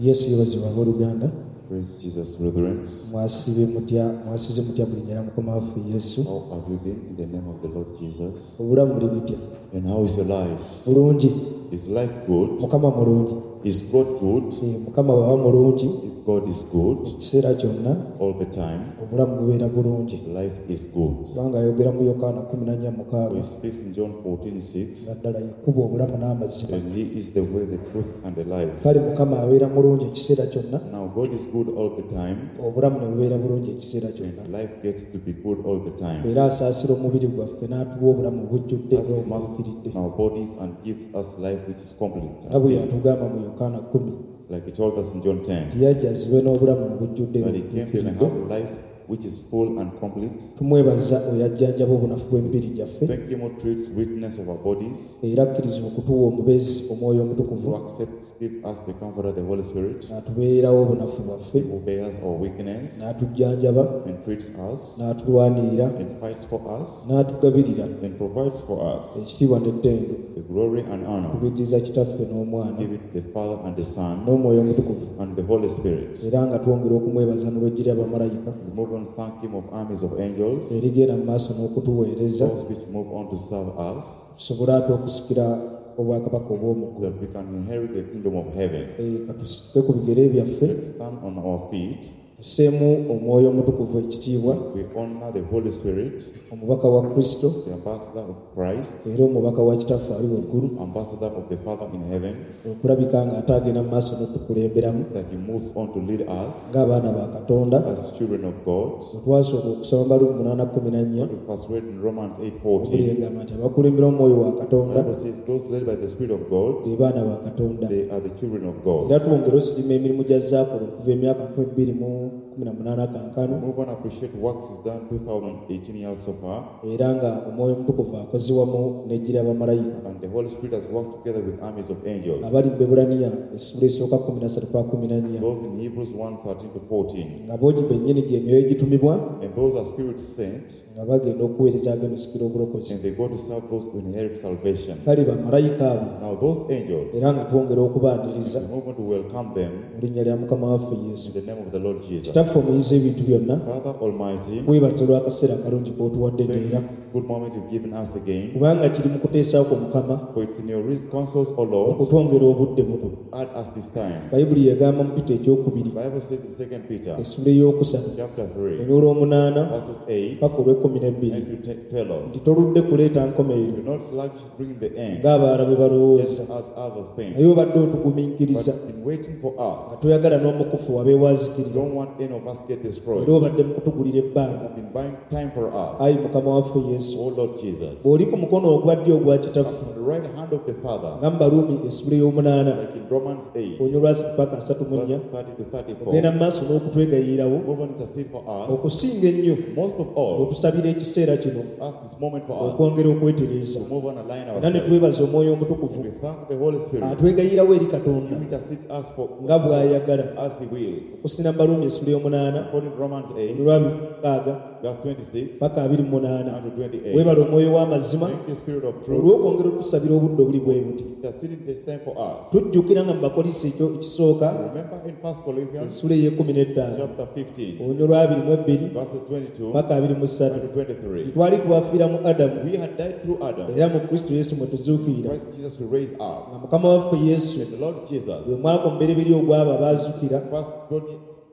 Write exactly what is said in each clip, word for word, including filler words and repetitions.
Yesu yeebazibwe abooluganda. Praise Jesus, brethren. Mwasiibye mutya, mwasiize mutya mu linnya lya Mukama waffe Yesu? How have you been in the name of the Lord Jesus? Obulamu buli butya? And how is your life? Bulungi. Is life good? Mukama mulungi. Is God good? Eh, Mukama bw'aba mulungi, If God is good, ekiseera kyonna all the time, obulamu bubeera bulungi. life is good. Kubanga ayogera mu Yokaana kkumi na nnya mukaaga He speaks in John fourteen six, nga ddala ye kkubo, obulamu n'amazima. and He is the way, the truth, and the life. Kale Mukama abeera mulungi ekiseera kyonna, Now, God is good all the time, obulamu ne bubeera bulungi ekiseera kyonna. and life gets to be good all the time. Era asaasira omubiri gwaffe n'atuwa obulamu obujjudde As era He must obutuukiridde. our bodies and gives us life which is complete. Nga bwe yatugamba mu Yokaana kkumi Like He told us in John ten, nti yajja azibe n'obulamu obujjudde era that He came to obutuukiridde. have life which is full and complete. Tumwebaza oyo ajjanjaba obunafu bw'emibiri gyaffe Thank Him who treats weakness of our bodies, era akkiriza okutuwa omubeezi omwoyo omutukuvu who accepts, give us the comfort of the Holy Spirit, n'atubeererawo obunafu bwaffe who bears our weakness n'atujjanjaba and treats us n'atulwanirira and fights for us n'atugabirira and provides for us ekitiibwa n'ettendo the glory and honor. tubiddiza kitaffe n'omwana Give it the Father and the Son n'omwoyo omutukuvu and the Holy Spirit. era nga twongera okumwebaza n'olw'eggye ly'abamalayika We move on, thank Him of armies of angels, erigenda mu maaso n'okutuweereza those which move on to serve us, tusobole ate okusikira obwakabaka obw'omu ggulu. that we can inherit the kingdom of heaven. Eh, katusituke ku bigere byaffe Let's stand on our feet. tusseemu omwoyo omutukuvu ekitiibwa We honor the Holy Spirit, omubaka wa Kristo the ambassador of Christ, era omubaka wa kitaffe ali waggulu ambassador of the Father in heaven, okulabika ng'ate agenda mu maaso n'otukulemberamu that He moves on to lead us ng'abaana ba Katonda. as children of God. Bwe twasooka okusoma Baluumi munaana kkumi na nnya We first read in Romans eight Bayibuli fourteen. egamba nti abakulembera omwoyo wa The Katonda Bible says those led by the Spirit of God, be baana ba Katonda. they are the children of God. Era twongere osirima emirimu gya zaakola okuva emyaka nkumi bbiri mu kumi na munaana kankano Move on, appreciate works is done two thousand eighteen years so far, era nga omwoyo omutukuvu akoze wamu n'eggye ly'abamalayika and the Holy Spirit has worked together with armies of angels. abali mu Baebbulaniya essula esooka kkumi na ssatu pa kkumi na nnya Those in Hebrews one thirteen to fourteen, nga boogi bennyini gy'emyoyo egitumibwa and those are spirits sent, nga bagenda okuweereza agenda osikira obulokozi. and they go to serve those who inherit salvation. Kale bamalayika abo Now, those angels, era nga twongera okubaaniriza we move on to welcome them mu linnya lya Mukama waffe Yesu. in the name of the Lord Jesus. Kitaffe omuyizi ebintu byonna, Father Almighty, weebaza olw'akaseera akalungi k'otuwadde thank neera you for good moment you've given us again. kubanga kiri mu kuteesaako Mukama For it's in your counsels, O Lord, okutwongera obudde buno. add us this time. Bayibuli egamba mu Peter ekyokubiri The Bible says in Second Peter essula ey'okusatu chapter three, olunyiriri olw'omunaana verses eight paka olw'ekkumi n'ebbiri and to twelve. nti toludde kuleeta nkomerero Do not sluggish bring the end, ng'abalala bwe balowooza just as other things. naye obadde otugumiikiriza But in waiting for nga us, toyagala n'omukufu wabeewo azikirira don't want any of us get destroyed. era obadde mu kutugulira ebbanga. Been buying time for us, Ayi Mukama waffe Yesu, O Lord Jesus. bw'oli ku mukono ogwa ddyo ogwa kitaffe On the right hand of the Father, nga mu Baluumi essula ey'omunaana like in Romans eight, olunyiriri lwa paka asatu mu nnya verse thirty to thirty-four, ogenda mu maaso n'okutwegayirirawo move on to intercede for us. okusinga ennyo Most of all, otusabira ekiseera kino ask this moment for us okwongera okwetereeza to move on and align era ne ourselves. twebaza omwoyo omutukuvu We thank the Holy Spirit atwegayirawo eri Katonda who intercedes us for nga bw'ayagala as He wills. okusina mu Baluumi essula ey'omunaana According to Romans eight, olwa mukaaga verse twenty-six paka abiri mu munaana and to twenty-eight. weebala omwoyo w'amazima Thank you, Spirit of Truth, olw'okwongera otusabira obudde obuli bwe buti. interceding the same for us. Tujjukira nga mu Bakolinso ekyo ekisooka Remember in First Corinthians essula ey'ekkumi n'ettaano chapter fifteen, olunyiriri lwa abiri mu ebbiri verses twenty-two paka abiri mu ssatu and to twenty-three. twali twafiira mu Adamu We had died through Adam. era mu Kristo Yesu mwe tuzuukirira Christ Jesus will raise up. nga Mukama waffe Yesu And the Lord Jesus, gwe mwaka omubereberye ogw'abo abazuukira first born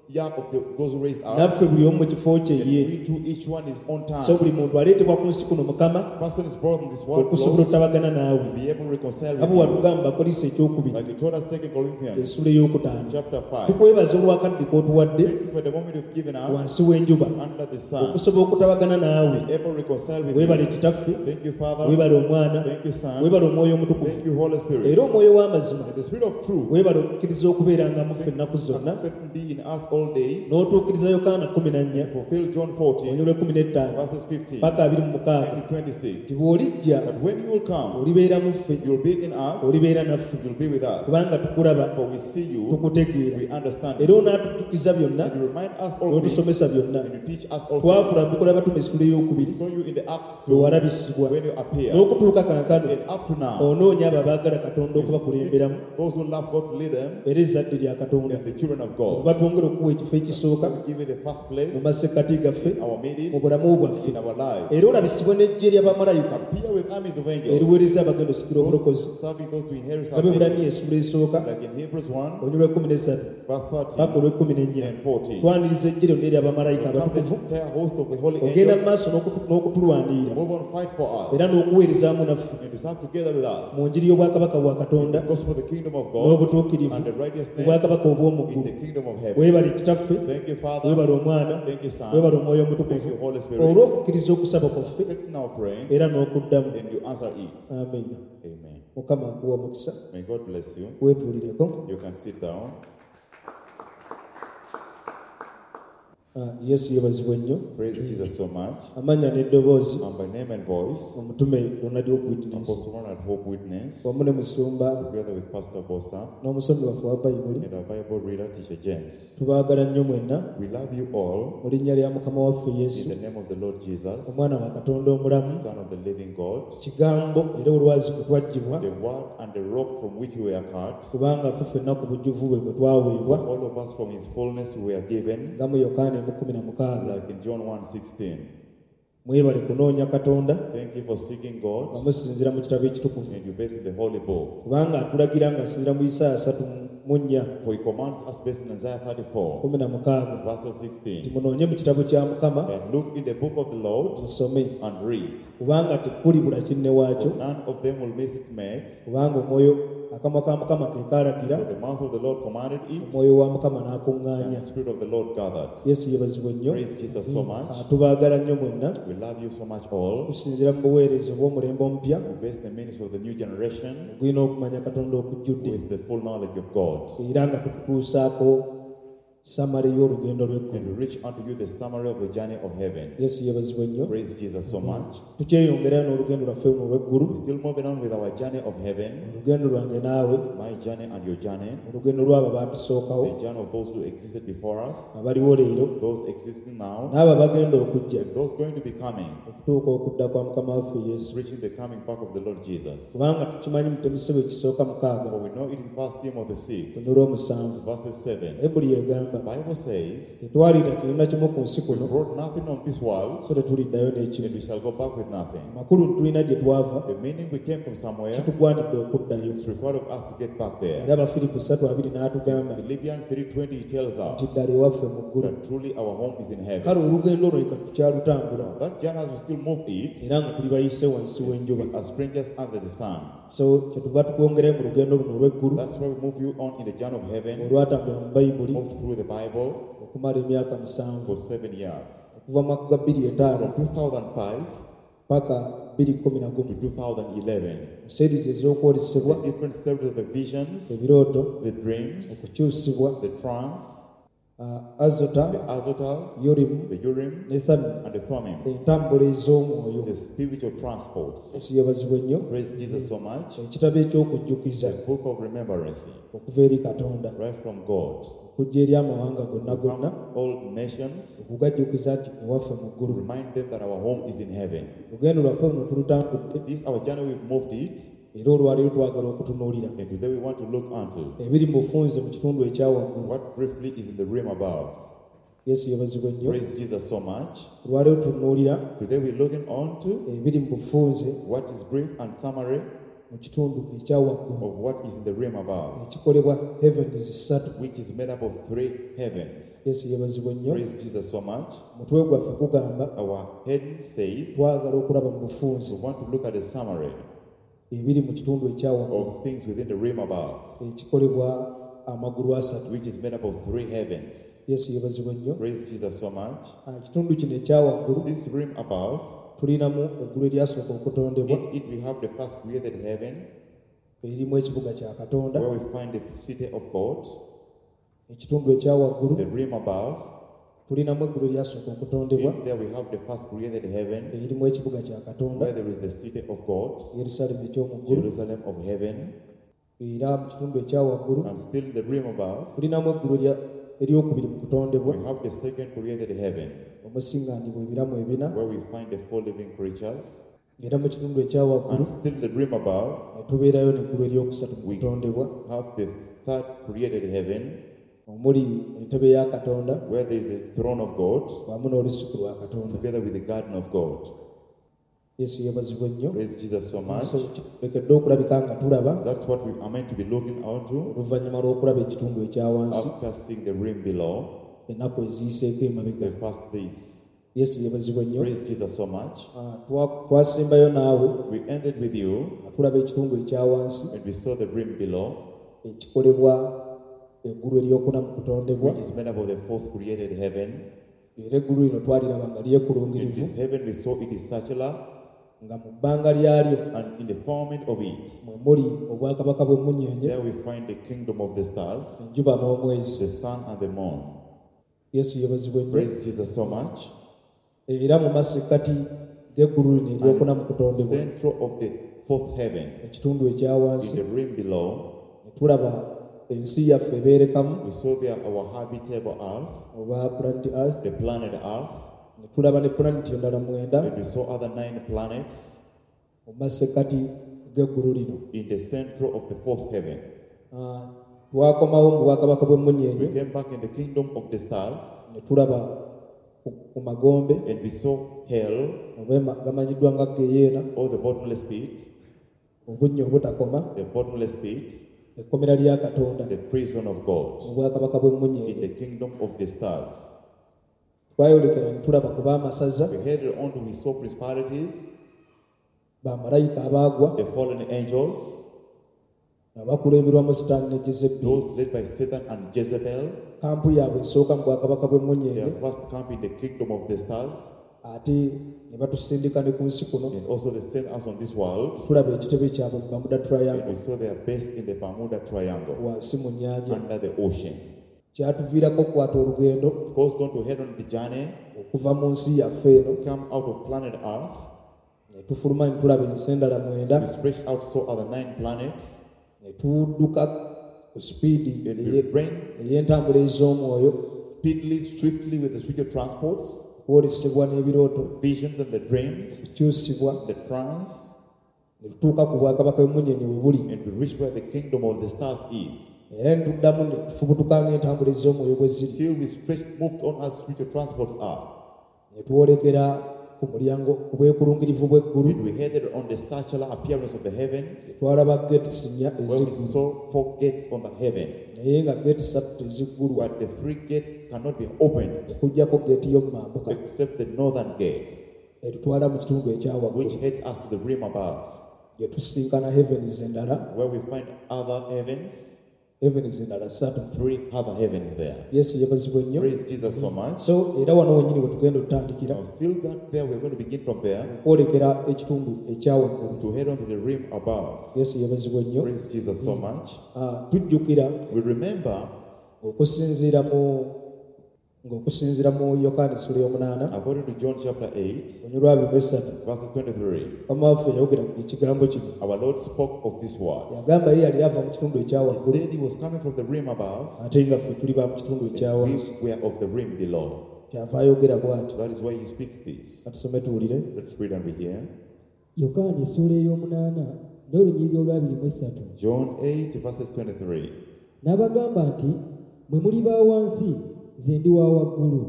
year of the, those who raise up, naffe buli omu mu kifo kye and ye we too, each one is on so time. Buli muntu aleetebwa ku nsi kuno Mukama Person is brought in this world, okusobola Lord, otabagana naawe to be able to reconcile nga with bwe you. watugamba Bakolinso ekyokubiri Like you told us, Second Corinthians essula ey'okutaano. chapter five. Tukwebaza olwakadde k'otuwadde Thank you for the moment you've given us wansi w'enjuba under the sun. okusobola okutabagana naawe. Be able to reconcile with Weebale you. Kitaffe, Thank you, Father. weebale Omwana, Thank you, Son. weebale Omwoyo Omutukuvu Thank you, Holy Spirit. era Omwoyo w'amazima And the Spirit of Truth, weebale okukkiriza okubeeranga mu ffe ennaku zonna accept and be in us all days, N'otuukiriza Yokaana kkumi na nnya fulfill John fourteen, olunyiriri lw'ekkumi n'ettaano verses fifteen paka abiri mu mukaaga and twenty-six. Nti bw'olijja That when you will come, olibeera mu ffe you'll be in us, olibeera naffe you'll be with us. Kubanga tukulaba For we see you, tukutegeera we understand era you. onaatujjukiza byonna And you remind us all things, n'otusomesa byonna and you teach us all things. Twakula mu Bikolwa By'Abatume essula We ey'okubiri saw you in the Acts bwe two walabisibwa when you appeared. N'okutuuka kaakano And up to now, onoonya abo abaagala Katonda you okubakulemberamu seek those who love God to lead them era ezzadde lya Katonda and the children of God. Okuba twongere okuwa ekifo ekisooka We give you the first place mu masekkati gaffe in our mu midst, bulamu bwaffe in our lives. Era olabisibwe n'eggye ly'abamalayika Appear with armies of angels, eriweereza abagenda osikira obulokozi those serving those to inherit nga Abebbulaniya salvation. essula esooka Like in Hebrews one, olunyiriri lw'ekkumi n'essatu verse paka thirteen olw'ekkumi n'ennya and fourteen. Twaniriza eggye lyonna ery'abamalayika Come the abatukuvu entire host of the holy ogenda mu angels, maaso n'okutu- n'okutulwanirira move on, fight for us, era n'okuweerezaamu naffe and to serve together with us. Mu njiri y'obwakabaka bwa Katonda The gospel of the kingdom of God n'obutuukirivu and the righteousness obwakabaka obw'omu in ggulu the kingdom of heaven. Weebale Kitaffe Thank you, Father. weebale Omwana Thank you, Son. weebale Omwoyo Thank Omutukuvu you, Holy Spirit. Olw'okukkiriza okusaba kwaffe Accept our praying era n'okuddamu and you answer it. Amiina Amen. Mukama akuwa omukisa May God bless you. Weetuulireko You can sit down. Ah, Yesu yeebazibwe nnyo Praise Jesus so much. Amannya n'eddoboozi And by name and voice, omutume Ronald Hope Witness Apostle Ronald Hope Witness, wamu ne musumba together with Pastor Bosa n'omusomi waffe wa Bayibuli and our Bible reader, Teacher James. Tubaagala nnyo mwenna We love you all mu linnya lya Mukama waffe in Yesu the name of the Lord Jesus, omwana wa Katonda omulamu Son of the living God, kigambo era olwazi kwe twaggyibwa the Word and the rock from which we were cut. Kubanga ffe ffenna ku bujjuvu bwe bwe twaweebwa All of us from his fullness we were given, nga mu Yokaana emu kkumi na mukaaga like in John one sixteen. Mwebale kunoonya Katonda Thank you for seeking nga God musinziira mu kitabo ekitukuvu and you base in the holy book. Kubanga atulagira ng'asinziira mu Isaaya asatu mu nnya For he commands us based in Isaiah thirty-four, kkumi na mukaaga verses nti sixteen, munoonye mu kitabo kya Mukama that look in the book of the Lord musome and read. Kubanga tekulibula kinne waakyo For none of them will miss its mate, kubanga omwoyo akamwa ka Mukama ke kaalagira for the mouth of the Lord commanded it, omwoyo wa Mukama and n'akuŋŋaanya the Spirit of the Lord gathered. Yesu yeebazibwe nnyo Praise Jesus so much. Ah, tubaagala nnyo mwenna We love you so much all. Tusinziira mu buweereza obw'omulembe omupya We base the ministry of the new generation ogulina okumanya Katonda okujjudde with the full knowledge of God. Era nga tukutuusaako summary y'olugendo lw'eggulu And we reach unto you the summary of the journey of heaven. Yesu yeebazibwe nnyo Praise Jesus so much. Tukyeyongerayo n'olugendo lwaffe luno olw'eggulu We're still moving on with our journey of heaven, olugendo lwange naawe my journey and your journey, olugendo lw'abo abatusookawo the journey of those who existed before us, abaliwo leero those existing now, n'abo abagenda okujja and those going to be coming, okutuuka okudda kwa Mukama waffe Yesu reaching the coming back of the Lord Jesus. Kubanga tukimanyi mu Timoseewo ekisooka mukaaga For we know it in First Timothy six, luno olw'omusanvu verses seven. Bayibuli egamba The Bible says, tetwaliira kirina kimu ku nsi we kuno brought nothing on this world, so tetuliddayo n'ekimu and we shall go back with nothing. Amakulu tulina gye twava The meaning we came from somewhere, kitugwanidde okuddayo it's required of us to get back there. Era Abafiripo ssatu abiri n'atugamba Philippians three twenty tells nti us ddala ewaffe mu ggulu that truly our home is in kale heaven. Olugendo olwo leka tukyalutambula Now, that journey as we still move it, era nga tuli bayise wansi w'enjuba as strangers under the sun. So kyetuva tukwongerayo mu lugendo luno olw'eggulu That's why we move you on in the journey of heaven, olwatambulira mu Bayibuli move through the Bible okumala emyaka musanvu for seven years. Okuva mu mwaka gwa bbiri etaano From two thousand five paka bbiri kkumi na gumu to twenty eleven. Mu series ez'okwolesebwa The different series of the visions, ebirooto the dreams, okukyusibwa the trance, ah, Azota the Azotas, Yurimu the Urim, ne Thummim and the Thummim, entambula ez'omwoyo the spiritual transports. Yesu yeebazibwe nnyo Praise Jesus so much. Ekitabo eky'okujjukiza The book of remembrance, okuva eri Katonda right from God. Okujja eri amawanga gonna gonna Come all nations, okugajjukiza nti ewaffe mu ggulu remind them that our home is in heaven. Olugendo lwaffe luno tulutambudde This our journey, we've moved it, era olwaleero twagala okutunuulira and today we want to look unto ebiri mu bufunze mu kitundu ekya waggulu what briefly is in the realm above. Yesu yeebazibwe nnyo Praise Jesus so much. Olwaleero tutunuulira Today we're looking on to ebiri mu bufunze what is brief and summary mu kitundu ekya waggulu of what is in the realm above, ekikolebwa heavens ssatu which is made up of three heavens. Yesu yeebazibwe nnyo Praise Jesus so much. Omutwe gwaffe gugamba Our heading says twagala okulaba mu bufunze we want to look at the summary ebiri mu kitundu ekya waggulu of things within the realm above, ekikolebwa amagulu asatu which is made up of three heavens. Yesu yeebazibwe nnyo Praise Jesus so much. Ah, ekitundu kino ekya waggulu This realm above, tulinamu eggulu eryasooka okutondebwa in it we have the first created heaven, erimu ekibuga kya Katonda where we find the city of God, Ekitundu ekya waggulu The realm above, tulinamu eggulu eryasooka okutondebwa in there we have the first created heaven, erimu ekibuga kya Katonda where there is the city of God, Yerusaalemi eky'omu ggulu. Jerusalem of heaven. Era mu kitundu ekya waggulu And still in the realm above, tulinamu eggulu erya- eryokubiri mu kutondebwa we have the second created heaven, omusiŋŋaanibwa ebiramu ebina. where we find the four living creatures. Era mu kitundu ekya waggulu And still in the realm above, ne tubeerayo n'eggulu eryokusatu mu We- kutondebwa have the third created heaven, omuli entebe ya Katonda where there is the throne of God, wamu n'olusuku lwa Katonda. together with the garden of God. Yesu yeebazibwe nnyo. Praise Jesus so much. So tulekedde okulabika nga tulaba That's what we are meant to be looking onto oluvannyuma lw'okulaba ekitundu ekya wansi after seeing the realm below, ennaku eziyiseeko emabega. the first days. Yesu yeebazibwe nnyo. Praise Jesus so much. Ah, twa- twasembayo naawe We ended with you nga tulaba ekitundu ekya wansi and we saw the realm below, ekikolebwa eggulu eryokuna mu kutondebwa. which is made up of the fourth created heaven. Era eggulu lino twaliraba nga In lyekulungirivu this heaven, we saw it is circular, nga mu bbanga lyalyo and in the firmament of it, mwe muli obwakabaka bw'emmunyeenye there we find the kingdom of the stars, enjuba n'omwezi. the sun and the moon. Yesu yeebazibwe nnyo. Praise Jesus so much. Era mu masekkati g'eggulu lino eryokuna mu kutondebwa Central of the fourth heaven, ekitundu ekya in wansi the realm below, ne tulaba ensi yaffe ebeerekamu we saw there our habitable earth, oba planet earth the planet Earth, ne tulaba ne pulaneti endala mwenda and we saw other nine planets mu masekkati g'eggulu lino. in the central of the fourth heaven. Ah, twakomawo mu bwakabaka bw'emmunyeenye We came back in the kingdom of the stars ne tulaba ku, ku magombe and we saw hell oba ema- gamanyiddwa nga geyeena or the bottomless pit, obunnya obutakoma the bottomless pit, ekkomera lya Katonda the prison of God mu bwakabaka in bw'emmunyeenye. the kingdom of the stars. Twayolekera ne tulaba ku baamasaza We headed on to we saw principalities, bamalayika abaagwa the fallen angels, nga bakulemberwamu Sitaani ne Jezeberi. those led by Satan and Jezebel. Kampu yaabwe esooka mu bwakabaka bw'emmunyeenye Their first camp in the kingdom of the stars, ate ne batusindika ne ku nsi kuno and also they sent us on this world. tulaba ekitebe kyabwe mu Bermuda And Triangle we saw their base in the Bermuda Triangle wansi mu nnyanja. under the ocean. Kyatuviirako okukwata olugendo Caused on to head on the journey, okuva mu nsi yaffe eno come out of planet Earth. ne tufuluma ne tulaba ensi endala mwenda We stretched out, saw other nine planets, ne tudduka ku sipiidi and eye- we ran ey'entambula ez'omwoyo speedily, swiftly with the spiritual transports, okwolesebwa n'ebirooto visions and the dreams, okukyusibwa the trance, ne tutuuka ku bwakabaka bw'emmunyeenye bwe buli and we reached where the kingdom of the stars is. era ne tuddamu ne tufubutuka ng'entambula ez'omwoyo bwe ziri Till we stretched, moved on as spiritual transports are. ne twolekera ku mulyango ku bwekulungirivu bw'eggulu And we headed on the circular appearance of the heavens, twalaba geeti nnya where we eziggulu saw four gates on the heaven. naye nga geeti ssatu teziggulwa But the three gates cannot be opened okuggyako geeti y'omu mambuka except the northern gate, etutwala mu kitundu ekya which waggulu heads us to the realm above, gye tusinkana heavens endala where we find other heavens, heavens endala ssatu. three other heavens there. Yesu yeebazibwe nnyo. Praise Jesus so much. So era wano wennyini we tugenda otutandikira Now, still that there, we're going to begin from there okwolekera ekitundu ekya waggulu. to head on to the realm above. Yesu yeebazibwe nnyo. Praise Jesus so much. Ah, tujjukira We remember, okusinziira mu ng'okusinziira mu Yokaana essula y'omunaana according to John chapter eight, olunyiriri lwa abiri mu esatu verses twenty-three, mukama waffe yayogera ekigambo kino. our Lord spoke of this word. Yagamba ye yali ava mu kitundu ekya He waggulu said he was coming from the realm above, ate nga ffe tuli ba mu kitundu ekya and wansi. we were of the realm below. Kyava ayogera bw'atyo. That is why he speaks this. Katusome tuwulire. Let's read and we hear. Yokaana essuula ey'omunaana n'olunyiriri olw'abiri mu essatu. John eight, verses twenty-three. N'abagamba nti mwe muli ba wansi nze ndi wa waggulu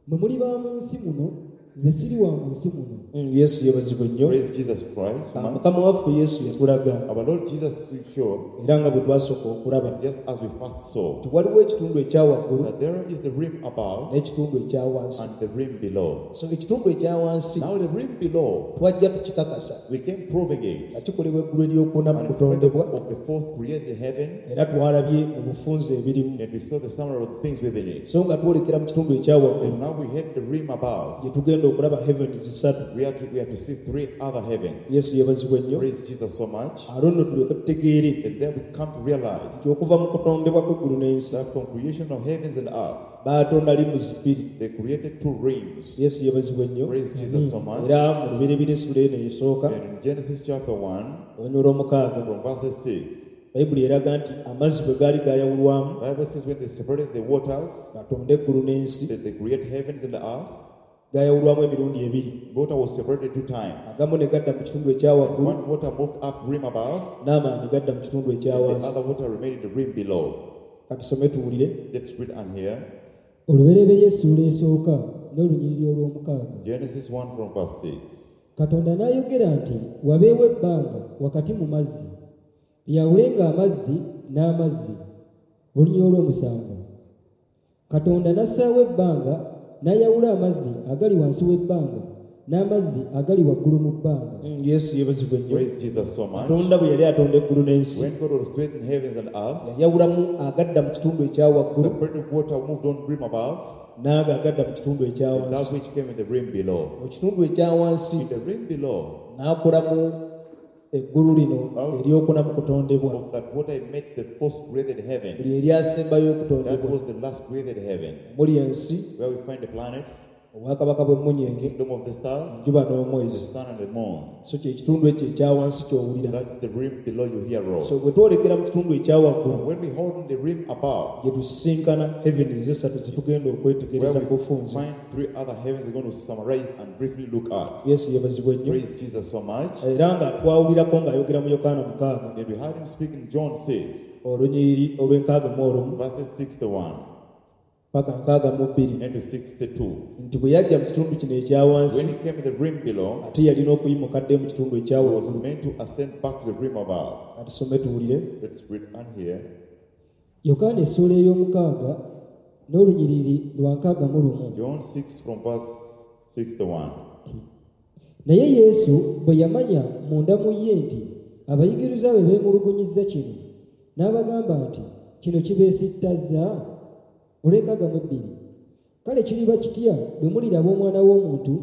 mwe muli ba mu nsi muno nze siri wa mu nsi muno. Mm, Yesu yeebazibwe nnyo. Praise Jesus Christ. Ah, mukama waffe Yesu yatulaga Our Lord Jesus showed, era nga bwe twasooka okulaba just as we first saw, nti waliwo ekitundu ekya waggulu that there is the realm above n'ekitundu ekya wansi. and the realm below. So ekitundu ekya wansi Now, the realm below, twajja tukikakasa we came proving it. nga kikolebwa eggulu eryokuna mu And it's made up kutondebwa of the fourth created heaven, era twalabye mu bufunze ebirimu. and we saw the summary of the things within it. So nga twolekera mu kitundu ekya waggulu And now we head the realm above, gye tugenda tugenda okulaba heavens ssatu We are to, we are to see three other heavens. yesu yeebazibwe nnyo Praise Jesus so much. alo nno tulyoke tutegeere And then we come to realize nti okuva mu kutondebwa kw'eggulu n'ensi that from creation of heavens and earth, baatonda limuzi bbiri they created two realms. yesu yeebazibwe nnyo Praise Jesus so much. era mu lubereberye essula eno esooka And in Genesis chapter one, olunyiriri olw'omukaaga from verse six, bayibuli eraga nti amazzi bwe gaali gayawulwamu Bible says when they separated the waters, batonde eggulu n'ensi that they create heavens and the earth, gayawulwamu emirundi ebiri water was separated two times. agamu ne gadda mu kitundu ekya waggulu One water moved up rim above, n'amalala ne gadda mu kitundu ekya the wansi other water remained in the rim below. katusome tuwulire Let's read and hear. olubereberye essuula esooka n'olunyiriri olw'omukaaga Genesis one from verse six. katonda n'ayogera nti wabeewo ebbanga wakati mu mazzi lyawulenga amazzi n'amazzi olunyiriri olw'omusanvu katonda n'assaawo ebbanga n'ayawula amazzi agali wansi w'ebbanga n'amazzi agali waggulu mu bbanga Mm, yesu yeebazibwe nnyo Praise Jesus so much. katonda bwe yali atonda eggulu n'ensi When God was creating heavens and earth, yayawulamu agadda mu kitundu ekya waggulu separated water moved on rim above, n'ago agadda mu kitundu ekya and that wansi which came in the rim below. mu kitundu ekya wansi In the rim below, n'akolamu eggulu lino eryokuna mu kutondebwa of that water he made the first created heaven. lye eryasembayo That okutondebwa was the last created heaven, muli ensi where we find the planets, obwakabaka bw'emmunyeenye kingdom of the stars, enjuba the n'omwezi sun and the moon. so kye kitundu ekyo ekya wansi ky'owulira That's the rim below you hear so of. bwe twolekera mu kitundu ekya waggulu And when we hold in the rim above, gye tusisinkana heavens esatu ze tugenda okwetegereza where mu we bufunze find three other heavens we're going to summarize and briefly look at. yesu yeebazibwe nnyo Praise Jesus so much. era nga twawulirako ng'ayogera mu yokaana mukaaga And we heard him speak in John six, olunyiriri olw'enkaaga mu olumu verses sixty-one paka nkaaga mu bbiri and to sixty-two. nti bwe yajja mu kitundu kino ekya wansi When he came in the rim below, ate yalina okuyimuka dde mu kitundu ekya he was waggulu meant to ascend back to the rim above. katusome tuwulire Let's read and hear. yokaana essuula ey'omukaaga n'olunyiriri lwa nkaaga mu lumu John six from verse sixty-one. nti naye yesu bwe yamanya munda mu ye nti abayigirizwa be beemulugunyizza kino n'abagamba nti kino kibeesittazza olw'enkaaga mu ebbiri kale kiriba kitya bwe muliraba omwana w'omuntu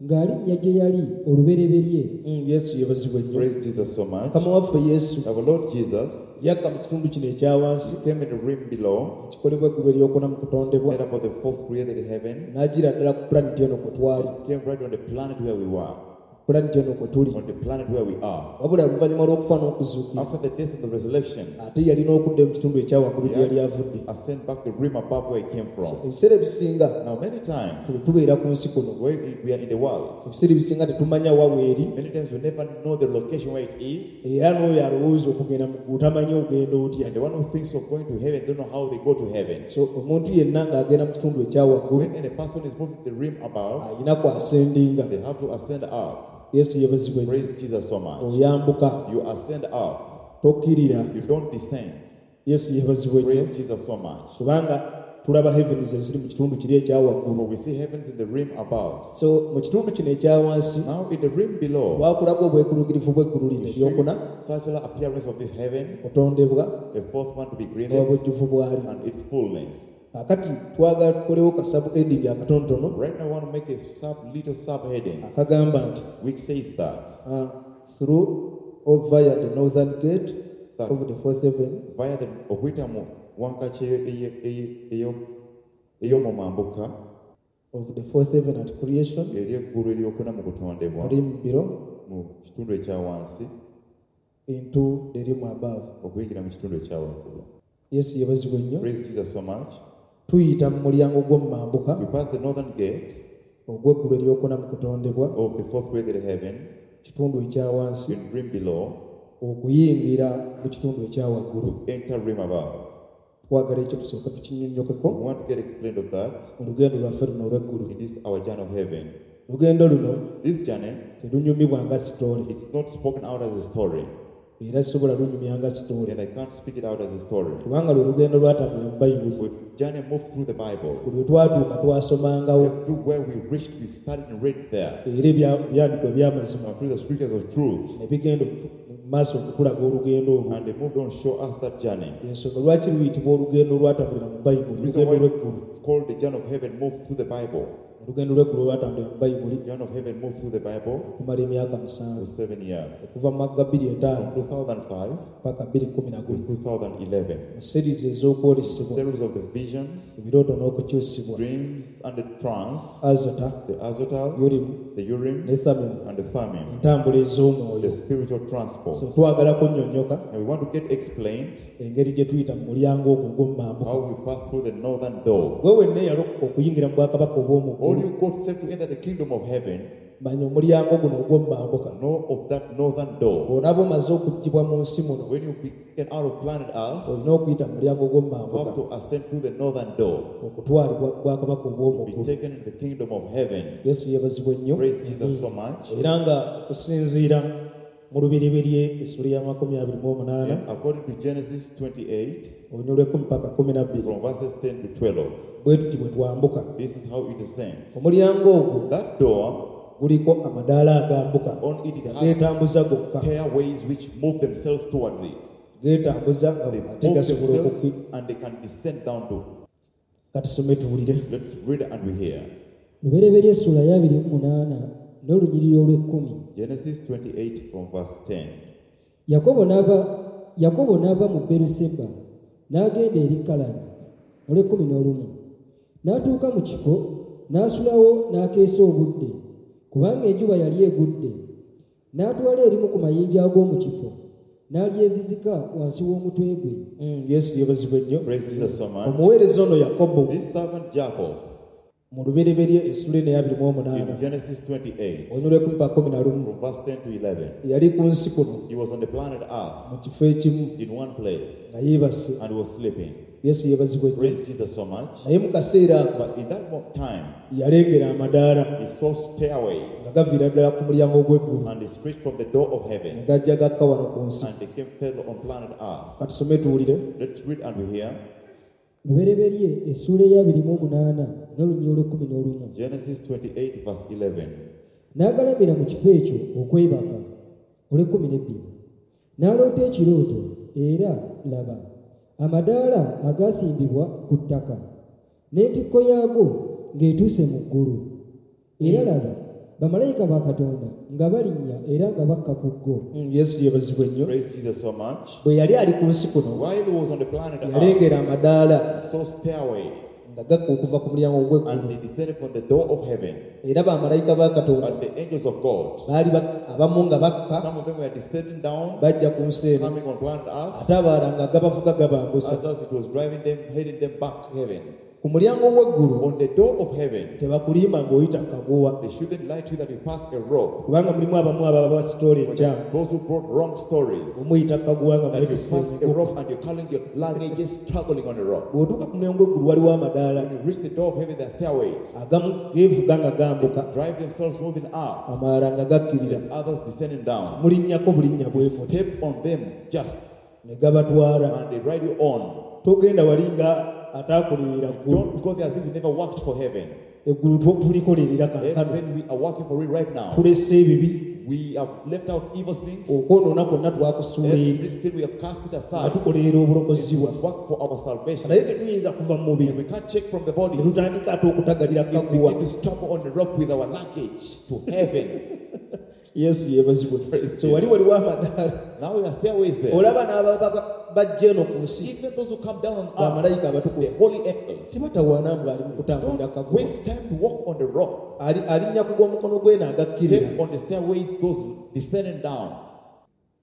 ng'alinnya gye yali olubereberye Mm, yesu yeebazibwe nnyo Praise Jesus so much. mukama waffe yesu Our Lord Jesus yakka mu kitundu kino ekya wansi came in the rim below, ekikolebwa eggulu eryokuna mu kutondebwa made up of the fourth created heaven, n'agira ddala ku pulaneti eno kwe twali came right on the planet where we were, pulaneti eno kwe tuli on the planet where we are. wabula oluvannyuma lw'okufa n'okuzuukira After the death and the resurrection, ate yalina okudda mu kitundu ekya waggulu gye yali avudde ascend back the rim above where he came from. ebiseera ebisinga Now, many bwe times, tubeera ku nsi kuno where we we are in the world, ebiseera ebisinga tetumanya wa weeri many times we never know the location where it is. era n'oyo alowooza okugenda mu ggulu tamanyi ogenda otya And the one who thinks of going to heaven don't know how they go to heaven. so omuntu yenna ng'agenda mu kitundu ekya waggulu When any person is moving to the rim above, alina kwasendinga they have to ascend up. yesu yeebazibwe nnyo Praise Jesus so much. oyambuka You ascend up, tokkirira you don't descend. yesu yeebazibwe nnyo Praise Jesus so much. kubanga tulaba heavens eziri mu kitundu kiri ekya waggulu For we see heavens in the rim above. so mu kitundu kino ekya wansi Now, in the rim below, twakulaga obwekulungirivu bw'eggulu lino we show eryokuna you circular appearance of this heaven, kutondebwa the fourth one to be created, n'obujjuvu bwali and its fullness. kaakati twagala tukolewo kasabu ending akatonotono Right now, I want to make a sub little subheading akagamba nti which says that uh, through or via the northern gate That- of the fourth heaven via the okuyita mu wankaaki eyo- eyo- eyo- eyo- ey'omumambuka of the fourth heaven at creation eri eggulu eryokuna mu kutondebwa rim below mu kitundu ekya wansi into the rim above okuyingira mu kitundu ekya waggulu. yesu yeebazibwe nnyo Praise Jesus so much. tuyita mu mulyango gw'omumambuka We pass the northern gate ogw'eggulu eryokuna mu kutondebwa of the fourth created heaven kitundu ekya wansi in rim below okuyingira mu kitundu ekya waggulu to enter rim above. twagala ekyo tusooke tukinnyonnyokeko We want to get explained of that mu lugendo lwaffe luno olw'eggulu in this our journey of heaven. lugendo luno This journey, terunyumibwa nga sitoole it's not spoken out as a story, era sisobola lunyumya nga sitoole and I can't speak it out as a story. kubanga lwe lugendo lwatambulira mu bayibuli But journey moved through the Bible. buli lwe twatuuka twasomangawo Everywhere we reached, we studied and read there. era ebya- ebyandikwa ebyamazima And through the scriptures of truth. ne bigenda okutu- mu maaso okutulaga olugendo olwo And they moved on, show us that journey. ensonga lwaki luyitibwa olugendo olwatambulira mu bayibuli The reason lugendo why lw'eggulu it's called the journey of heaven moved through the Bible. Olugendo lw'eggulu olwatambulira mu Bayibuli Journey of heaven moved through the Bible okumala emyaka for musanvu seven years. okuva mu mwaka gwa bbiri etaano From two thousand five paka bbiri kkumi na to gumu two thousand eleven. Mu series ez'okwolesebwa, Series of the visions, ebirooto n'okukyusibwa, dreams and the trance, Azota, the Azotal, Urim the Urim, ne Thummim, and the Thummim, entambula ez'omwoyo. the spiritual transport. So twagala kunnyonnyoka And we want to get explained engeri gye tuyita mu mulyango ogwo ogw'omumambuka. how we pass through the northern door. Gwe wenna eyalokoka okuyingira mu bwakabaka obw'omu All ggulu, you got saved to enter the kingdom of heaven, manya omulyango guno ogw'omumambuka. know of that northern door. Bw'onaaba omaze okuggyibwa mu nsi muno, When you be taken out of planet Earth, olina okuyita mu mulyango you ogw'omumambuka have to ascend through the northern door, okutwalibwa mu bwakabaka obw'omu be ggulu. taken in the kingdom of heaven. Yesu yeebazibwe nnyo. Praise Jesus so much. Era nga okusinziira mu Lubereberye essula ya makumi abiri mu omunaana, And according to Genesis twenty-eight, olunyiriri lw'ekkumi paka kkumi na bbiri, from verses ten to twelve, bwe tuti bwe twambuka. this is how it ascends. Omulyango ogwo That door, guliko amadaala agambuka on it, it has geetambuza gokka, stairways which move themselves towards it. geetambuza nga They ate move gasobola themselves okukki. and they can descend down to. Katusome tuwulire. Let's read and we hear. Lubereberye essula ya abiri mu munaana n'olunyiriri olw'ekkumi. Genesis twenty-eight from verse ten. Yakobo n'ava Yakobo n'ava mu Beeruseba n'agenda eri Kalani olw'ekkumi n'olumu. N'atuuka mu kifo n'asulawo n'akeesa obudde, kubanga enjuba yali egudde. N'atwala erimu ku mayinja ag'omu kifo n'alyezizika wansi w'omutwe gwe. Mm, Yesu yeebazibwe nnyo. Praise Jesus so much. Omuweereza ono Yakobo This servant Jacob, mu Lubereberye essula eno eya abiri mu omunaana, in Genesis twenty-eight, olunyiriri lw'ekkumi paka kkumi na lumu, from verse ten to eleven, yali ku nsi kuno he was on the planet Earth mu kifo ekimu in one place nga yeebase. and was sleeping. Yesu yeebazibwe nnyo. Praise Jesus so much. Naye mu kaseera ako But in that mo- time, yalengera amadaala he saw stairways nga gaviira ddala ku mulyango gw'eggulu and they stretched from the door of ne heaven gajja gakka wano ku nsi. and they came fell on planet Earth. Katusome tuwulire. Let's read and we hear. Lubereberye essuula eya abiri mu omunaana n'olunyiriri olw'ekkumi n'olumu. Genesis twenty-eight verse eleven. N'agalamira mu kifo ekyo okwebaka olw'ekkumi n'ebbiri. N'aloota ekirooto era laba amadaala agaasimbibwa ku ttaka n'entikko yaago ng'etuuse mu ggulu. Era laba bamalayika ba Katonda nga balinnya era nga bakka ku ggo. Mm, Yesu yeebazibwe nnyo. Praise Jesus so much. Bwe yali ali ku nsi kuno, While he was on the planet Earth, yalengera amadaala he saw stairways nga gakka okuva ku mulyango gw'eggulu. and they descended from the door of heaven. Era bamalayika ba Katonda And the angels of God, baali bak-, abamu nga bakka some of them were descending down, bajja ku nsi eno, coming on planet Earth. ate abalala nga gabavuga gabambusa. Others, it was driving them, heading them back to heaven. Ku mulyango gw'eggulu On the door of heaven, tebakulimba ng'oyita kaguwa, they shouldn't lie to you that you pass a rope. kubanga mulimu abamu ababa basitoola enkyamu. Those who brought wrong stories, Omuyita kaguwa nga that you mwetisse pass a emigugu. rope and you're carrying your luggage, struggling on the rope. Bw'otuuka ku mulyango gw'eggulu waliwo amadaala When you reach the door of heaven, there are stairways. agamu geevuga nga gambuka, Drive themselves moving up, amalala nga gakkirira. others descending down. Mulinnyako bulinnya bwe You muti step on them just, ne gabatwala. and they ride you on. Togenda wali nga ataakolerera ggulu. Don't go there as if you never worked for heaven. Eggulu tu-, tulikolerera kaakano. Heaven, we are working for it right now. Tulese ebibi. We have left out evil things. Okwonoona kwonna twakusuula eri. Every sin we have cast it Nga aside. tukolerera obulokozi bwaffe. Work for our salvation. Naye tetuyinza kuva mu mubiri. We can't check from the body. Ne tutandika ate okutagalira If we kaguwa. begin to struggle on the rope with our luggage to heaven. Yesu yeebazibwe. Praise So wali waliwo amadaala. Now there are stairways there. Olaba n'ababa bajja eno ku nsi, Even those who come down on earth, bamalayika abatukuvu, the holy angels, tebatawaana mbu ali mu kutambulira don't kaguwa. waste time to walk on the rock. Ali-, alinnya ku gw'omukono gwe n'agakkirira. Step on the stairways, those descending down.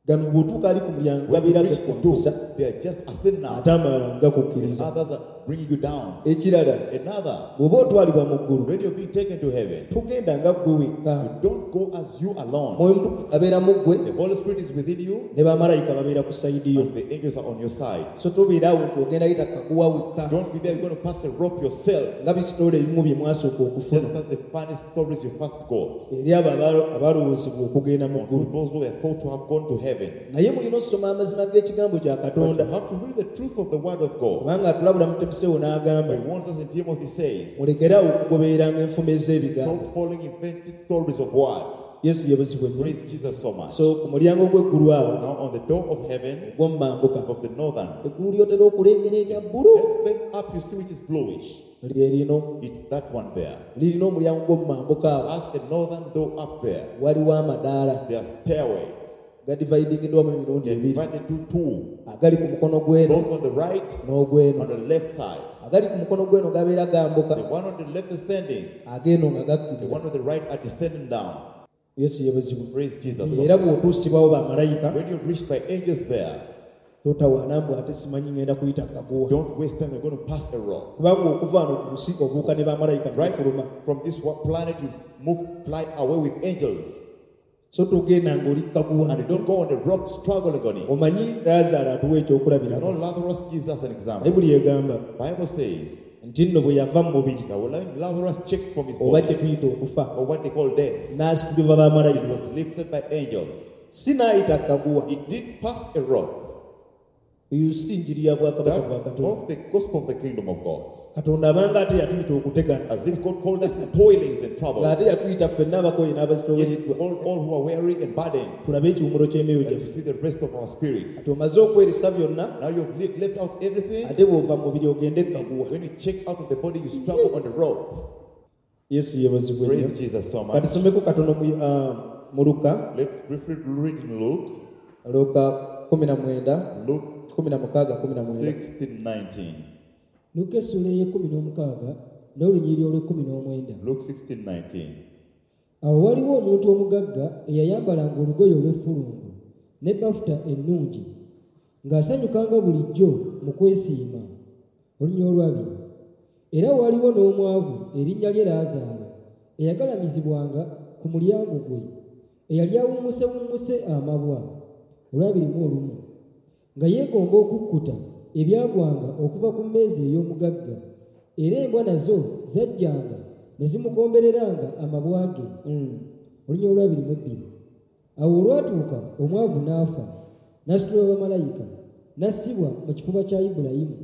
Gano bw'otuuka ali ku mulyango When you gabeera reach the door, gakwambusa, they are just ascending up. ate amalala nga gakukkiriza. Others are bringing you down. Ekirala, Another, bw'oba otwalibwa mu ggulu, when you're being taken to heaven, togenda nga ggwe wekka. you don't go as you alone. Mwoyo Mutukuvu abeera mu ggwe, The Holy Spirit is within you, ne bamalayika babeera ku sayidi yo. and the angels are on your side. So tobeera awo nti ogenda yita kaguwa wekka, Don't be there, you're going to pass a rope yourself. nga bisitoola ebimu bye mwasooka okufuna. Just as the funny stories you first got. Eri abo abalo-, abalowoozebwa okugenda mu ggulu. Those who were thought to have gone to heaven. Naye mulina okusoma amazima g'ekigambo kya But Katonda. you have to read the truth of the word of God. Kubanga atulabula mu Timoseewo n'agamba, He warns us in Timothy says, mulekere awo okugobereranga enfumo ez'ebigambo. Stop following invented stories of words. Yesu yeebazibwe nnyo. Praise Jesus so much. So ku mulyango gw'eggulu awo, Now on the door of heaven, ogw'omumambuka, of the northern, eggulu ly'otera okulengera erya bbulu. heaven up you see which is bluish. Lye lino. It's that one there. Lirina omulyango gw'omumambuka awo. Has a northern door up there. Waliwo amadaala. There are stairways. Gadividingiddwamu emirundi They're ebiri. divided into two. Agali ku mukono gw'eno Those on the right, n'ogw'eno. on the left side. Agali ku mukono gw'eno gabeera gambuka. The one on the left ascending, Ag'eno nga the gakkirira. one on the right are descending down. Yesu yeebazibwe. Praise Jesus. Era bw'otuusibwawo bamalayika When you're reached by angels there, totawaana mbu ate simanyi ngenda kuyita kaguwa. don't waste time. You're going to pass a rock. Kubanga okuva wano ku nsi obuuka ne bamalayika ne Right bafuluma. from this wa- planet, you move, fly away with angels. So togenda ng'oli kaguwa. And you don't go on the rock struggling on it. Omanyi Laazaalo atuwa You ekyokulabirako. know, Lazarus gives us an example. Bayibuli egamba Bible says nti nno bwe yava mu mubiri that when Lazarus checked from his oba body, kye tuyita okufa or what they call death, n'asitulibwa he bamalayika. was lifted by angels. Si n'ayita kaguwa. He did pass a rock. Eyo si njiri ya bwakabaka bwa That's Katonda. not the gospel of the kingdom of God. Katonda abanga ate yatuyita okutegana. As if God called us in toilings and troubles. Ng'ate yatuyita ffenna abakooye Yet n'abazitoowereddwa all, all who are weary and burdened, tulabe ekiwummulo ky'emyoyo and to gyaffe. see the rest of our spirits. Kati omaze okweresa byonna Now you've le- left out everything. ate bw'ova mu mubiri ogende kaguwa. When you check out of the body, you struggle on the rope. Yesu yeebazibwe Praise nnyo. Jesus so much. Kati tusomeko katono mu, ah, mu Luka, Let's briefly read in Luke, Luka kumi na mwenda, Luke kumi na mukaaga kumi na mwenda. sixteen nineteen. Luka essuula ey'ekkumi n'omukaaga n'olunyiriri olw'ekkumi n'omwenda. Luke sixteen nineteen. Awo waliwo omuntu omugagga eyayambalanga olugoye olw'effulungu ne bafuta ennungi, ng'asanyukanga bulijjo mu kwesiima. Olunyiriri olwabiri. Era waliwo n'omwavu erinnya lye Laazaalo, eyagalamizibwanga ku mulyango gwe, eyali awummusewummuse amabwa. Olwabiri mu olumu. Nga yeegomba okukkuta ebyagwanga okuva ku mmeeza ey'omugagga, era embwa nazo zajjanga ne zimukombereranga amabwa ge. Mm. Olunyiriri olwabiri mu ebbiri. Awo olwatuuka omwavu n'afa, n'asitulwa bamalayika, n'assibwa mu kifuba kya Ibulayimu.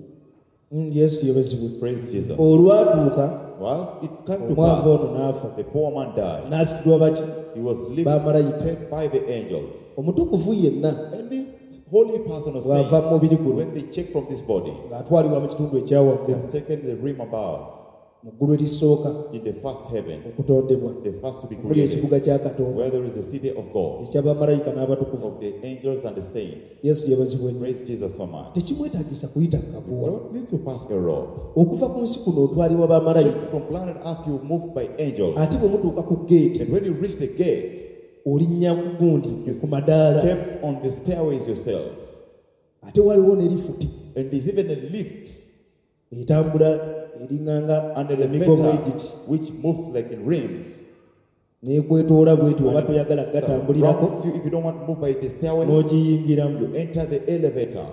Mm, Yesu yeebazibwe. Praise Jesus. Olwatuuka Once it came to omwavu ono pass, n'afa, the poor man died. n'asitulwa baki? He was Bamalayika. lifted by the angels. Omutukuvu yenna Any holy person or bw'ava saint, mu mubiri guno when they check from this body, ng'atwalibwa mu kitundu they ekyawaggulu have taken the rim above mu ggulu erisooka in the first heaven, okutondebwa the first to be omuli created, ekibuga kya Katonda where there is the city of God, eky'abamalayika n'abatukuvu. of the angels and the saints. Yesu yeebazibwe nnyo. Praise Jesus so much. Tekimwetaagisa kuyita kaguwa. Don't need to pass a rope. Okuva ku nsi kuno otwalibwa bamalayika. From planet Earth, you move by angels. Ate bwe mutuuka ku geeti And when you reach the gate, olinnya ku gundi you ku madaala. step on the stairways yourself. Ate waliwo ne lifuti And there's even a lift etambula eringanga and emigomo elevator egiti which moves like in rims. n'ekwetoola bweti oba And toyagala gatambulirako surrounds you if you don't want to move by the stairways, n'ogiyingiramu. you enter the elevator.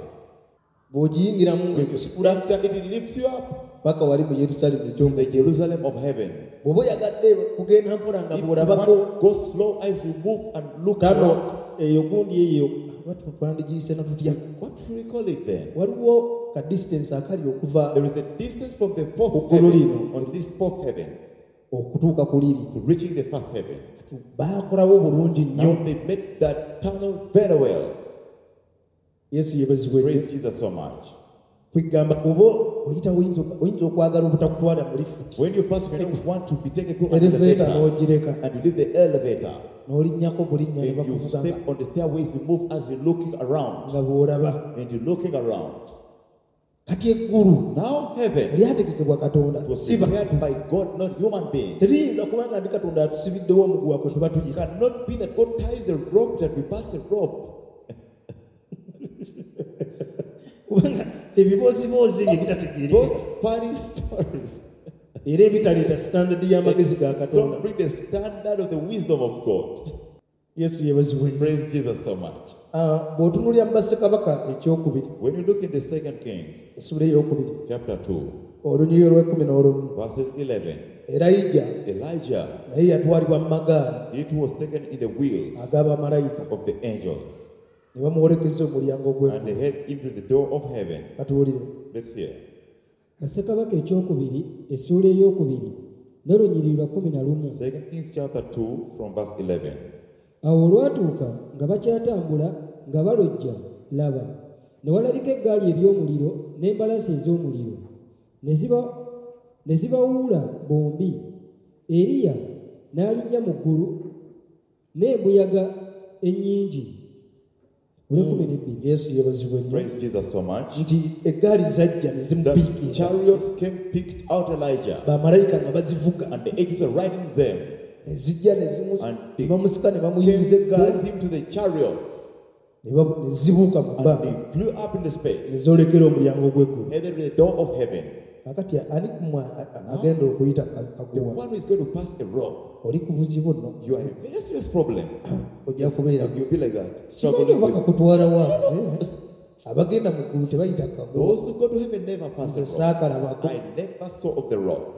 Bw'ogiyingiramu ng'ekusitula Enter it, it lifts you up paka wali mu Yerusaalemi to eky'omu. the Jerusalem of heaven. Bw'oba oyagadde kugenda mpola nga If you bw'olabako want, go slow as you move and look tano around. eyo gundi eyo oba twandigiyise na tutya. What should we call it then? Waliwo ka distance akali okuva There is a distance from the fourth Ku ggulu heaven, lino. on this fourth heaven, okutuuka ku liri. to reaching the first heaven. Kati baakolawo bulungi nnyo. Now they made that tunnel very well. Yesu yeebazibwe nnyo. Praise Jesus so much. Kwegamba oba oyita oyinza oyinza okwagala obutakutwala mu lifuti. When you pass, you may not want to be taken through an Elevator elevator, n'ogireka and you leave the elevator. n'olinnyako bulinnya ne And you bakuvuga nga- step on the stairways, you move as you're looking around. nga bw'olaba. And you're looking around. Kati eggulu Now heaven lyategekebwa Katonda was si ba- prepared by God, not human being. Teriyinza kubanga ndi Katonda atusibiddewo omuguwa kwe tuba It tuyita. cannot be that God ties a rope that we pass a rope. Kubanga ebibooziboozi ebyo ebitategeerekeka Those funny stories era ebitaleeta standard y'amagezi ga Katonda. don't bring the standard of the wisdom of God. Yesu yeebazibwe nnyo. Praise Jesus so much. Ah, bw'otunuulira mu Bassekabaka ekyokubiri, When you look in the Second Kings essula ey'okubiri, chapter two, olunyiriri olw'ekkumi n'olumu, verses eleven, Erayija Elijah, naye yatwalibwa mu magaali he too was taken in the wheels ag'abamalayika of the angels, ne bamuwolekeza omulyango and gw'eggulu. they head into the door of heaven. Katuwulire. Let's hear. Bassekabaka ekyokubiri essuula ey'okubiri n'olunyiriri lwa kkumi na lumu. Second Kings chapter two from verse eleven. Awo olwatuuka nga bakyatambula nga balojja, laba, ne walabika eggaali ery'omuliro n'embalaasi ez'omuliro, ne ziba Ne zibawuula bombi. Eriya n'alinnya mu ggulu n'embuyaga ennyingi. Olw'ekkumi n'ebbiri. Yesu yeebazibwe nnyo. Praise Jesus so much. Nti eggaali zajja ne The zimupiikinga. chariots came, picked out Elijah, Bamalayika nga bazivuga. and the angels were riding them. Zijja ne zimu- And ne they bamusika ne bamuyingiza came, eggaali pulled him to the chariots, ne babu- ne zibuuka mu and bbanga they flew up in the ne space, zoolekera omulyango gw'eggulu. headed to the door of heaven. Kakati ani kumwe a- a- agenda okuyita ka- The kaguwa? one who is going to pass a rope, Oli ku buzibu nno. you are in a very serious problem. Ojja kubeera You'll be like that, simanyi struggling oba with. kakutwala wa. Abagenda mu ggulu tebayita kaguwa. Those who go to heaven never pass Nze a rope. saakalabako. I never saw of the rope.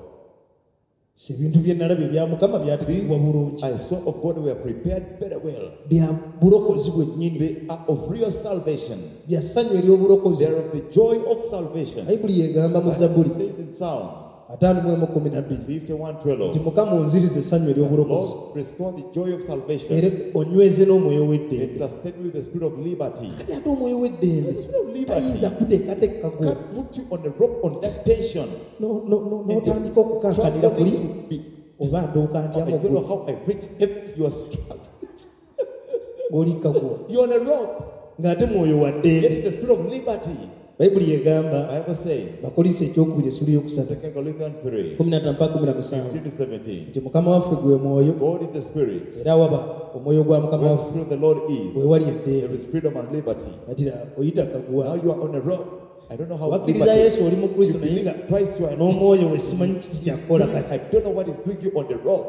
Si ebintu bye nalabye ebya Mukama byategekebwa bulungi. I saw of God were prepared very well. Bya bulokozi bwennyini. They are of real salvation. Bya ssanyu ery'obulokozi. They are of the joy of salvation. Bayibuli yegamba mu Zabbuli It says in Psalms ataano mu emu kkumi na bbiri fifty-one nti twelve, Mukama onziriza essanyu ery'obulokozi Lord, restore the joy of salvation era onyweze n'omwoyo and w'eddembe. sustain me with the spirit of liberty. Kati ate omwoyo w'eddembe The spirit of liberty tayinza kuteekateeka gwo can't put you on a rope on that tension. No- no- no- And you're n'otandika okukankanira kuli struggling to be. oba ntuuka ntya I mu don't know ggulu how I reach heaven. You are struggling. ng'oli kaguwa You're on a rope. ng'ate mwoyo wa It ddembe. is the spirit of liberty. Bayibuli egamba Bible says, Bakolinso ekyokubiri essula eyokusatu Second Corinthians three, kumi na ttaano mpaka kumi na musanvu fifteen to seventeen. nti Mukama waffe gwe mwoyo God is the spirit. era waba omwoyo gwa Mukama Where the waffe spirit of the Lord is, we wali there eddembe. is freedom and liberty. Kati oyita kaguwa. Now you are on a rope. I don't know how Wakkiriza liberty. Yesu oli mu Kristo You naye believe nga Christ, you are n'omwoyo we simanyi kiki kyakukola Spirit, kati. I don't know what is doing you on the rope.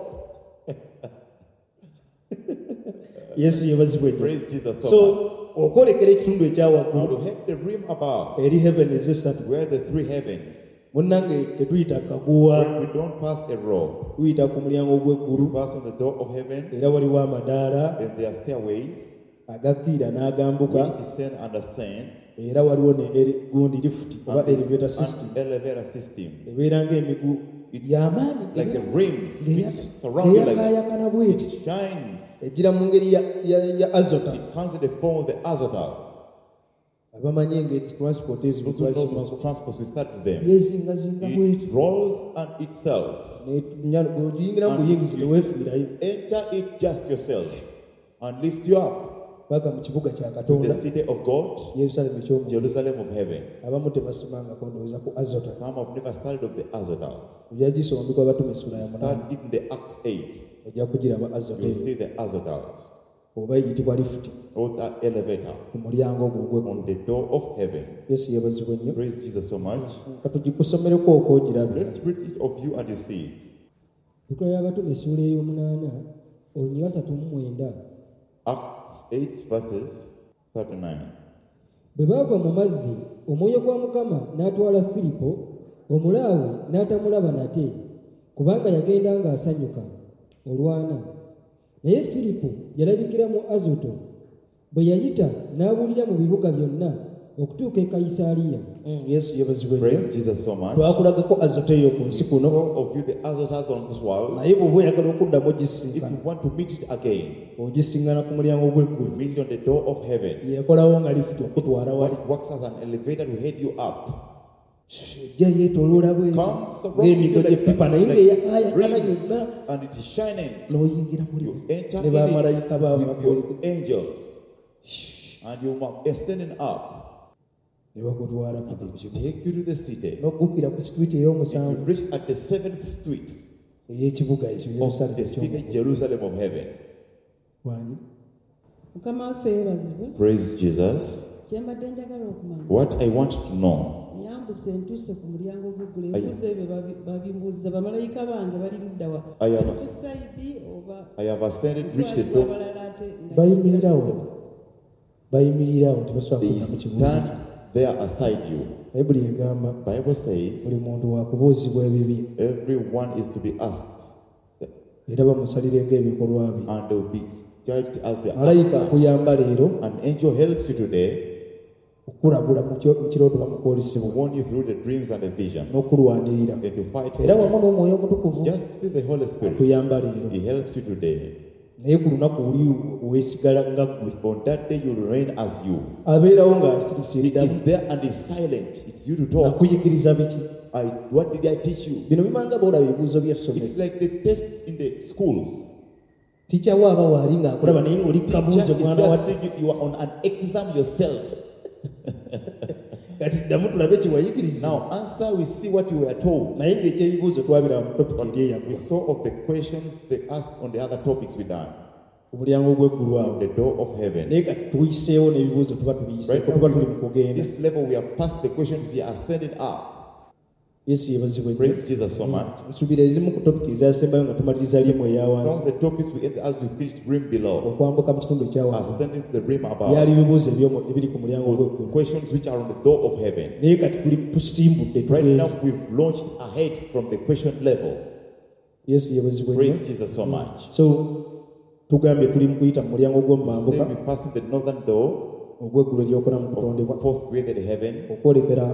Yesu yeebazibwe nnyo. Praise Jesus so So much. okwolekera ekitundu ekya Now waggulu to head the rim above, eri heaven ez'essatu where the three heavens. munnange tetuyita kaguwa. When we don't pass a rope, Tuyita ku mulyango we gw'eggulu pass on the door of heaven, era waliwo amadaala and there are stairways agakkiira n'agambuka which descend and ascend, era waliwo ne eri- gundi lifuti oba and elevator an system elevator system. ebeera ng'emigu y'amaanyi Like the rims which surround you like ng'eyakaayakana bweti it shines. ejjira mu ngeri ya- ya ya azota. It comes in the form of the azotas. Abamanyi engeri transport ezo Those who know twasomako those transports, we start with them. yezingazinga bweti It rolls and itself. bw'ogiyingira mu buyingizi teweefiirayo. Enter it just yourself and lift you up paka mu kibuga kya to the Katonda city of God, Yerusaalemi eky'omu. Jerusalem of heaven. Abamu tebasomangako ndowooza ku azota. Some have never studied of the azotas. Ojja gisoma mu Abatume essula ya munaana. Start it in the Acts eight. Ojja kugiraba azota You'll eyo see the azotas oba eyitibwa lifuti or that elevator ku mulyango ogwo ogw'eggulu. on the door of heaven. Yesu yeebazibwe nnyo. Praise Jesus so much. Katugikusomereko okwogirabe. Let's read it of you and you see it. Ebikolwa by'Abatume essuula ey'omunaana olunyiriri asatu mu mwenda. Acts eight verses thirty-nine. Bwe baava mu mazzi omwoyo gwa Mukama n'atwala Firipo omulaawe n'atamulaba nate kubanga yagenda ng'asanyuka olwana. Naye Firipo yalabikira mu Azoto bwe yayita n'abuulira mu bibuga byonna okutuuka e Kayisaaliya. Mm, Yesu yeebazibwe nnyo. Praise Jesus so much. Twakulagako azoto eyo ku nsi kuno All of you, the azotas on this world, naye bw'oba oyagala okuddamu if ogisinkana you want to meet it again, ogisinkana ku mulyango gw'eggulu. meet it on the door of heaven. Yekolawo nga lifuti okutwala wali. What works as an elevator to head you up. Ejja yeetooloola bweti Comes surrounding you ng'emigo like, gy'eppipa naye like ng'eyakaayakana rings, yonna and it is shining. n'oyingira muli You enter ne in bamalayika it baabo with your angels, and you are ascending up. ne bakutwala paka mu kibuga Take you to the city. n'oggukira ku situiti You ey'omusanvu reach at the seventh street ey'ekibuga ekyo of Yerusaalemi the city, eky'omu ggulu. Jerusalem of heaven. Wangi. Mukama waffe yeebazibwe. Praise Jesus. Kye mbadde njagala okumanya What I want to know, nyambuse ntuuse ku mulyango gw'eggulu Ayi. ebibuuzo ebyo babi- babimbuuza bamalayika bange bali ludda wa Ayi, bali aba- ku sayidi oba I have ascended, reached the ntwalibwa door. abalala ate nga Bayimirirawo bayimirirawo tebasobola They kudda mu kibuuzo. stand there aside you. Bayibuli egamba Bible says buli muntu wakubuuzibwa ebibi everyone is to be asked, era bamusalire ng'ebikolwa bye. and they will be judged as their Malayika acts. akuyamba leero An angel helps you today okulabula mu kyo- mu kirooto to bamukwolisebwa warn you through the dreams and the visions n'okulwanirira and to fight for era wamu you. n'omwoyo omutukuvu Just through the Holy Spirit, akuyamba leero He helps you today. Naye ku lunaku oli weesigala nga ggwe. On that day, you'll reign as you. Abeerawo ng'asirise He is eddamu. there and is silent. It's you to talk. Nakuyigiriza biki? I, what did I teach you? Bino bimanga bw'olaba ebibuuzo by'essomero. It's like the tests in the schools. Teacher wo aba waali ng'akulaba naye ng'oli ku Teacher kabuuzo is mwana there wa seeing you, you are on an exam yourself. Kati ddamu tulabe kye wayigiriza. Now answer, we see what you were told. Naye ng'ekyebibuuzo twabiraba mu topiki eri We eyaggwa. saw of the questions they asked on the other topics we done. Ku mulyango gw'eggulu awo. The door of heaven. Naye kati tuyiseewo n'ebibuuzo tuba tubiyiseeko Right tuba now, tuli mu kugenda. this level we have passed the questions, we are ascending up. Yesu yeebazibwe nnyo. Praise Jesus so much. Nsuubira ezimu ku topiki ezasembayo nga tumaliriza limu eya Some wansi of the topics we ended as we finished rim below, okwambuka mu kitundu ekya waggulu. ascending to the rim above. Byali bibuuzo eby'omu- ebiri ku mulyango Was gw'eggulu. questions which are on the door of heaven. Naye kati tuli tusimbudde Right tugenze. now we've launched ahead from the question level. Yesu yeebazibwe nnyo. Praise Jesus so much. So tugambye tuli mu kuyita mu mulyango Say gw'omumambuka we passing the northern door ogw'eggulu eryokuna mu kutondebwa of fourth created heaven okwolekera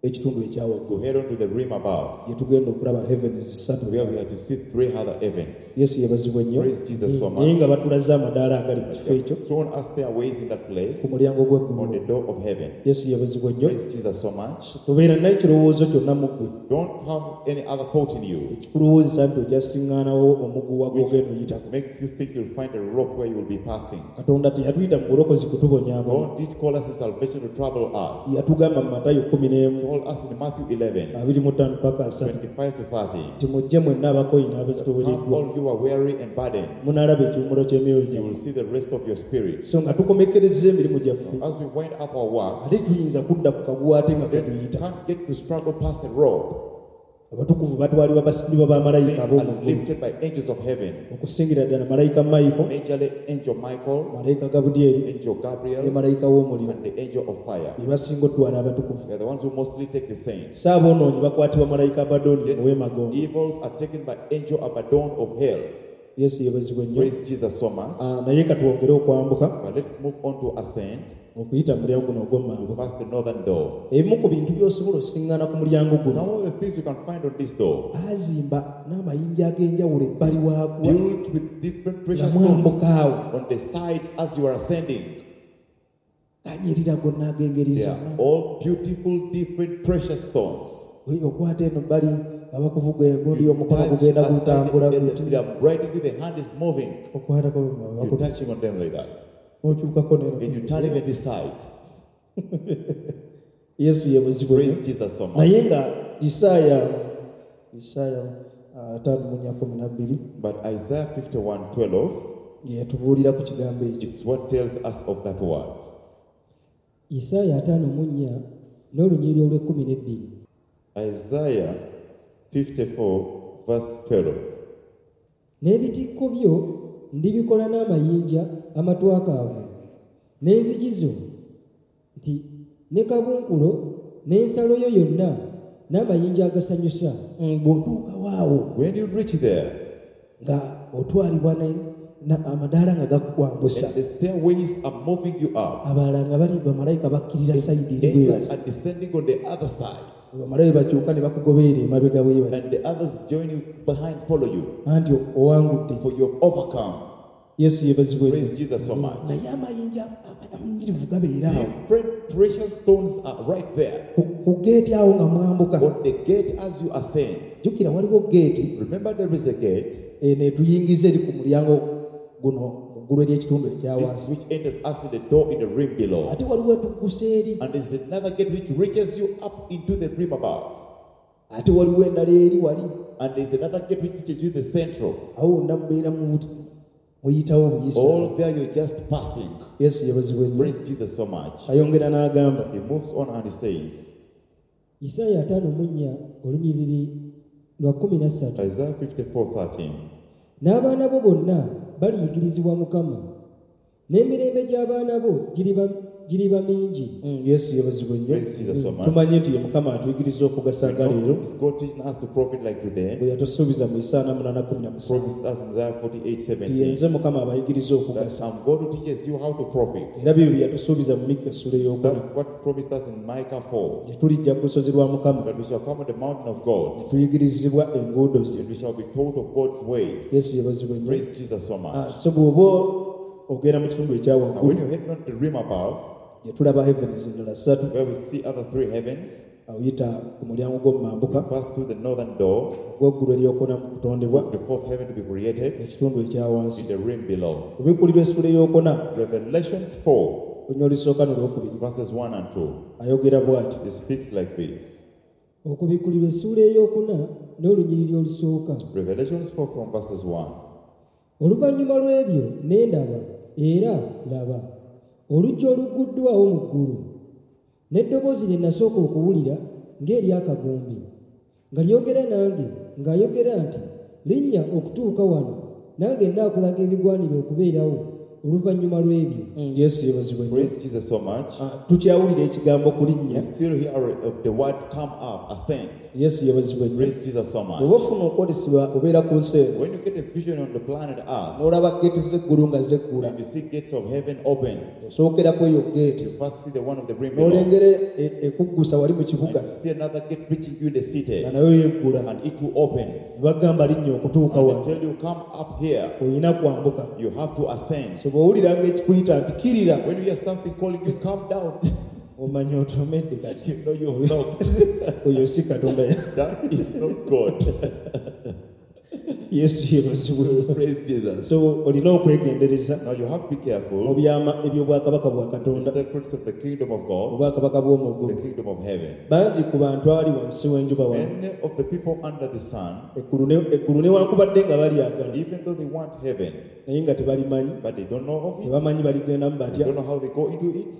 ekitundu ekya to waggulu head on to the rim above, gye tugenda okulaba heavens ssatu. where we are to see three other heavens. Yesu yeebazibwe nnyo. Praise Jesus so Naye much. nga batulaze amadaala agali mu kifo ekyo Shown us stairways in that place ku mulyango on gw'eggulu. the door of heaven. Yesu yeebazibwe nnyo. Praise Jesus so much. Tobeera naye kirowoozo kyonna mu ggwe Don't have any other thought in you ekikulowoozesa nti ojja siŋŋaanawo omuguwa gw'ogenda oyitako. make you think you'll find a rope where you will be passing. Katonda teyatuyita mu bulokozi kutubonyaabonya. God did call us in salvation to trouble us. Yatugamba mu Matayo kkumi n'emu Told us in Matthew eleven, abiri mu ttaano paka asatu twenty-five to thirty. nti mujje mwenna abakooyi Come n'abazitowereddwa all you are weary and burdened, munaalaba ekiwummulo ky'emyoyo you gyammwe. will see the rest of your spirit. So nga tukomekkerezza emirimu gyaffe As we wind up our work, ate tuyinza kudda ku kaguwa ate nga then we tetuyita. can't get to struggle past the rope. Abatukuvu batwalibwa basitulibwa bamalayika Things ab'omu are ggulu lifted by angels of heaven, okusingira ddala malayika Mayiko, majorly angel Michael, malayika Gabudyeri angel ne Gabriel, malayika w'omuliro and the angel of fire. be basinga otwala abatukuvu. They are the ones who mostly take the saints. So aboonoonyi bakwatibwa malayika Abaddoni ow'emagombe. Evils are taken by angel Abaddon of hell. Yesu yeebazibwe nnyo. Praise Jesus so much. Ah, naye katwongere okwambuka But let's move on to ascent okuyita mu mulyango guno ogw'omumambuka. past the northern door. Ebimu ku bintu by'osobola osiŋŋaana ku mulyango guno Some of the things you can find on this door, baazimba n'amayinja ag'enjawulo ebbali waagwo built with different nga precious stones mwambuka awo on the sides as you are ascending. ganyirira gonna ag'engeri They are zonna. all beautiful, different, precious stones. Oyi, okwata eno bbali nga bakuvuga egundi You omukono touch gugenda aside, gutambula and guti they are riding you, the hand is moving. okwatako You're touching on them like that. n'okyukako neno And you turn even this side. Yesu yeebazibwe nnyo. Praise Jesus so much. Naye nga Isaaya Isaaya ah, ataano mu nnya kumi na bbiri But Isaiah fifty-one twelve, yetubuulira ku kigambo ekyo. it's what tells us of that word. Isaaya ataano mu nnya n'olunyiriri olw'ekkumi n'ebbiri. Isaiah fifty-four verse twelve. N'ebitikko byo ndibikola n'amayinja amatwakaavu, n'enzigi zo nti ne kabunkulo n'ensalo yo yonna n'amayinja agasanyusa. Mm, bw'otuukawo awo When you reach there, nga otwalibwa ne na- amadaala nga gakukwambusa and the stairways are moving you up. abalala nga bali bamalayika bakkirira sayidi eri bwe Angels bali are descending on the other side, bamalayika bakyuka ne bakugoberera emabega bwe bali and the others join you behind, follow you, anti owangudde. for you have overcome. Yesu yeebazibwe Praise nnyo. Jesus so much. Naye amayinja amayingirivu gabeera awo Different precious stones are right there ku ku geeti awo nga mwambuka. on the gate as you ascend. Jjukira waliwo geeti Remember, there is a gate eno etuyingiza eri ku mulyango guno mu ggulu ery'ekitundu ekya this wansi which enters us in the door in the rim below, ate waliwo etuggusa eri and there's another gate which reaches you up into the rim above, ate waliwo endala eri wali and there's another gate which reaches you the central. awo wonna mubeera mu- muyitawo buyisa. All there, you're just passing. Yesu yeebazibwe nnyo. Praise Jesus so much. Ayongera n'agamba He moves on and he says, Isaaya ataano mu nnya olunyiriri lwa kkumi na ssatu. Isaiah fifty-four thirteen. N'abaana bo bonna baliyigirizibwa Mukama, n'emirembe gy'abaana bo giriba giriba mingi Mm, Yesu yeebazibwe nnyo. Praise Jesus so much. Tumanyi nti ye Mukama atuyigiriza okugasa nga leero It's God teaching us to profit like today. bwe yatusuubiza mu Isaaya ana munaana kumi na musanvu Promised us in Isaiah forty-eight nti seventeen. yenze Mukama abayigiriza That okugasa. I'm God who teaches you how to profit. Era byo bye yatusuubiza mu Mikka essula ey'okuna That's what promised us in Micah four. gye tulijja ku lusozi lwa Mukama That we shall come on the mountain of God. tuyigirizibwa enguudo ze. And we shall be taught of God's ways. Yesu yeebazibwe nnyo. Praise Jesus so Ah, much. so bw'oba ogenda mu kitundu ekya Now, when waggulu you head on to the realm above, gye tulaba heavens endala ssatu where we see other three heavens, oyita ku mulyango gw'omumambuka we pass through the northern door, ogw'eggulu eryokuna mu kutondebwa the fourth heaven to be created, ekitundu ekya wansi in the realm below. Okubikkulirwa essula ey'okuna Revelations four, olunya olusooka n'olwokubiri verses one and two. ayogera bw'ati It speaks like this. Okubikkulirwa essuula ey'okuna n'olunyiriri olusooka. Revelations four from verses one. Oluvannyuma lw'ebyo ne ndaba era laba oluggi olugguddwawo mu ggulu n'eddoboozi lye nasooka okuwulira ng'ery'akagombe nga lyogera nange ng'ayogera nti linnya okutuuka wano nange nnaakulaga ebigwanira okubeerawo oluvannyuma lw'ebyo. Mm, Yesu yeebazibwe nnyo. Praise Jesus so much. Ah, tukyawulira ekigambo kulinnya. You still hear of the word come up, ascend. Yesu yeebazibwe nnyo. Praise Jesus so Bw'oba much. ofuna okwolesebwa obeera ku nsi eno When you get a vision on the planet Earth, n'olaba geeti z'eggulu nga zeggula and you see gates of heaven open, osookerako eyo geeti you first see the one of the realm below. n'olengera e- ekuggusa wali mu kibuga And you see another gate reaching you in the city, nga nayo yeggula and it too opens. ne bagamba linnya okutuuka And they wano tell you, come up here. olina kwambuka. You have to ascend. So bw'owulira ng'ekikuyita nti kkirira When you hear something calling you, come down, omanya otomedde kati you know you've knocked. oyo si Katonda. That is not God. Yesu yeebazibwe. Praise Jesus. So olina okwegendereza Now you have to be mu careful. byama eby'obwakabaka bwa The Katonda secrets of the kingdom of God, obwakabaka bw'omu the ggulu. kingdom of heaven. Bangi ku bantu ali wansi w'enjuba wano Many of the people under the sun, eggulu ne- eggulu newankubadde nga balyagala even though they want heaven, naye nga tebalimanyi but they don't know of it, tebamanyi baligendamu they batya don't know how they go into it,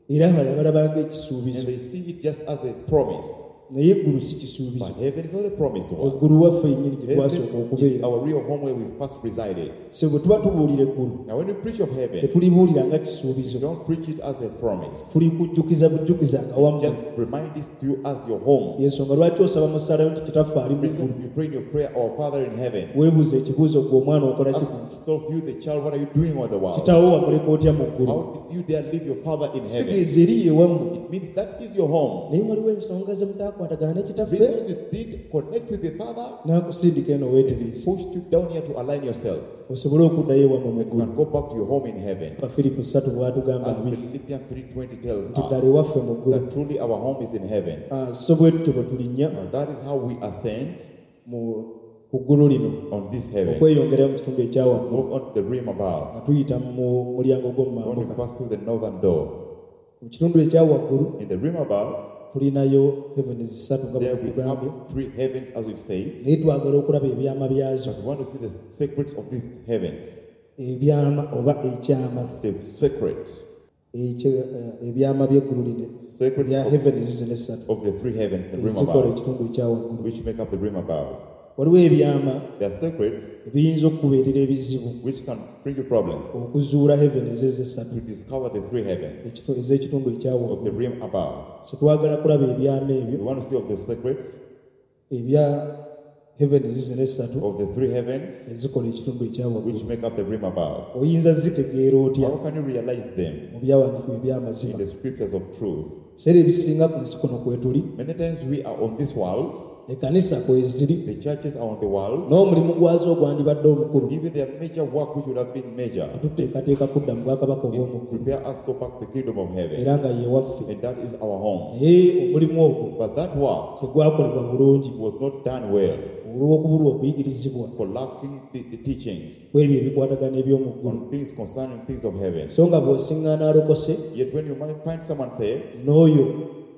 era abalala balabanga and ekisuubizo they see it just as a promise. naye eggulu si kisuubizo. But heaven is not a promise to us. Eggulu waffe yennyini gye Heaven twasooka is okubeera. our real home where we first resided. So bwe tuba tubuulira eggulu Now, when we preach of heaven, tetulibuulira nga we kisuubizo don't preach it as a promise. tulikujjukiza bujjukiza nga wammwe. Just remind this to you as your home. Yensonga lwaki osaba mu ssaala yo nti kitaffe ali mu Reason ggulu you pray in your prayer, Our Father in heaven. weebuuza ekibuuzo gwe omwana okola ki ku nsi Ask yourself, you the child, what are you doing on the world? kitaawo wamuleka otya mu ggulu How did you dare leave your father in heaven? kitegeeza eri ye wammwe It means that is your home. naye waliwo ensonga ze mutaakwatagana ne kitaffe Reasons you did connect with the father n'akusindika eno weetereeze pushed you down here to align yourself. osobole okuddayo ewammwe mu You ggulu can go back to your home in heaven. Abafiripo ssatu bw'atugamba As abiri Philippians three twenty tells nti ddala us ewaffe mu ggulu that truly our home is in heaven. Ah, so bwe tutyo bwe tulinnya Now that is how we ascend mu ku ggulu lino on this heaven. okweyongerayo mu kitundu ekya waggulu Move on to the realm above. nga tuyita mu mulyango When we gw'omumambuka pass through the northern door. mu kitundu ekya waggulu In the realm above, tulinayo heavens ssatu nga bwe there we tukugambye have three heavens as we've said. naye twagala okulaba ebyama byazo But we want to see the secrets of these heavens. ebyama oba ekyama The secret. ekyo, eh, ebyama by'eggulu lino Secrets bya of, heavens zino essatu of the three heavens, the realm ezikola above, ekitundu ekya waggulu which make up the realm above. waliwo ebyama There are secrets ebiyinza okukubeerera ebizibu which can bring you problem okuzuula heavens ezo essatu to discover the three heavens ekitu- ez'ekitundu ekya of the waggulu realm above. so twagala kulaba ebyama ebyo We want to see of the secrets ebya heavens zino essatu of the three heavens ezikola ekitundu ekya which waggulu make up the realm above. oyinza zitegeera otya How can you realize them mu byawandiikibwa in eby'amazima the scriptures of truth? biseera ebisinga ku nsi kuno kwetuli Many times we are on this world, ekkanisa kweziri the churches are on the world, n'omulimu gwazo ogwandibadde omukulu even their major work, which would have been major, tuteekateeka kudda mu bwakabaka is to obw'omu ggulu prepare us to go back to the kingdom of heaven. era nga ye waffe And that is our home. naye omulimu ogwo But that work tegwakolebwa bulungi was not done well olw'okubulwa okuyigirizibwa for lacking the, the teachings ku ebyo ebikwatagana eby'omu ggulu on things concerning things of heaven. so nga bw'osiŋŋaana alokose Yet when you might find someone saved, n'oyo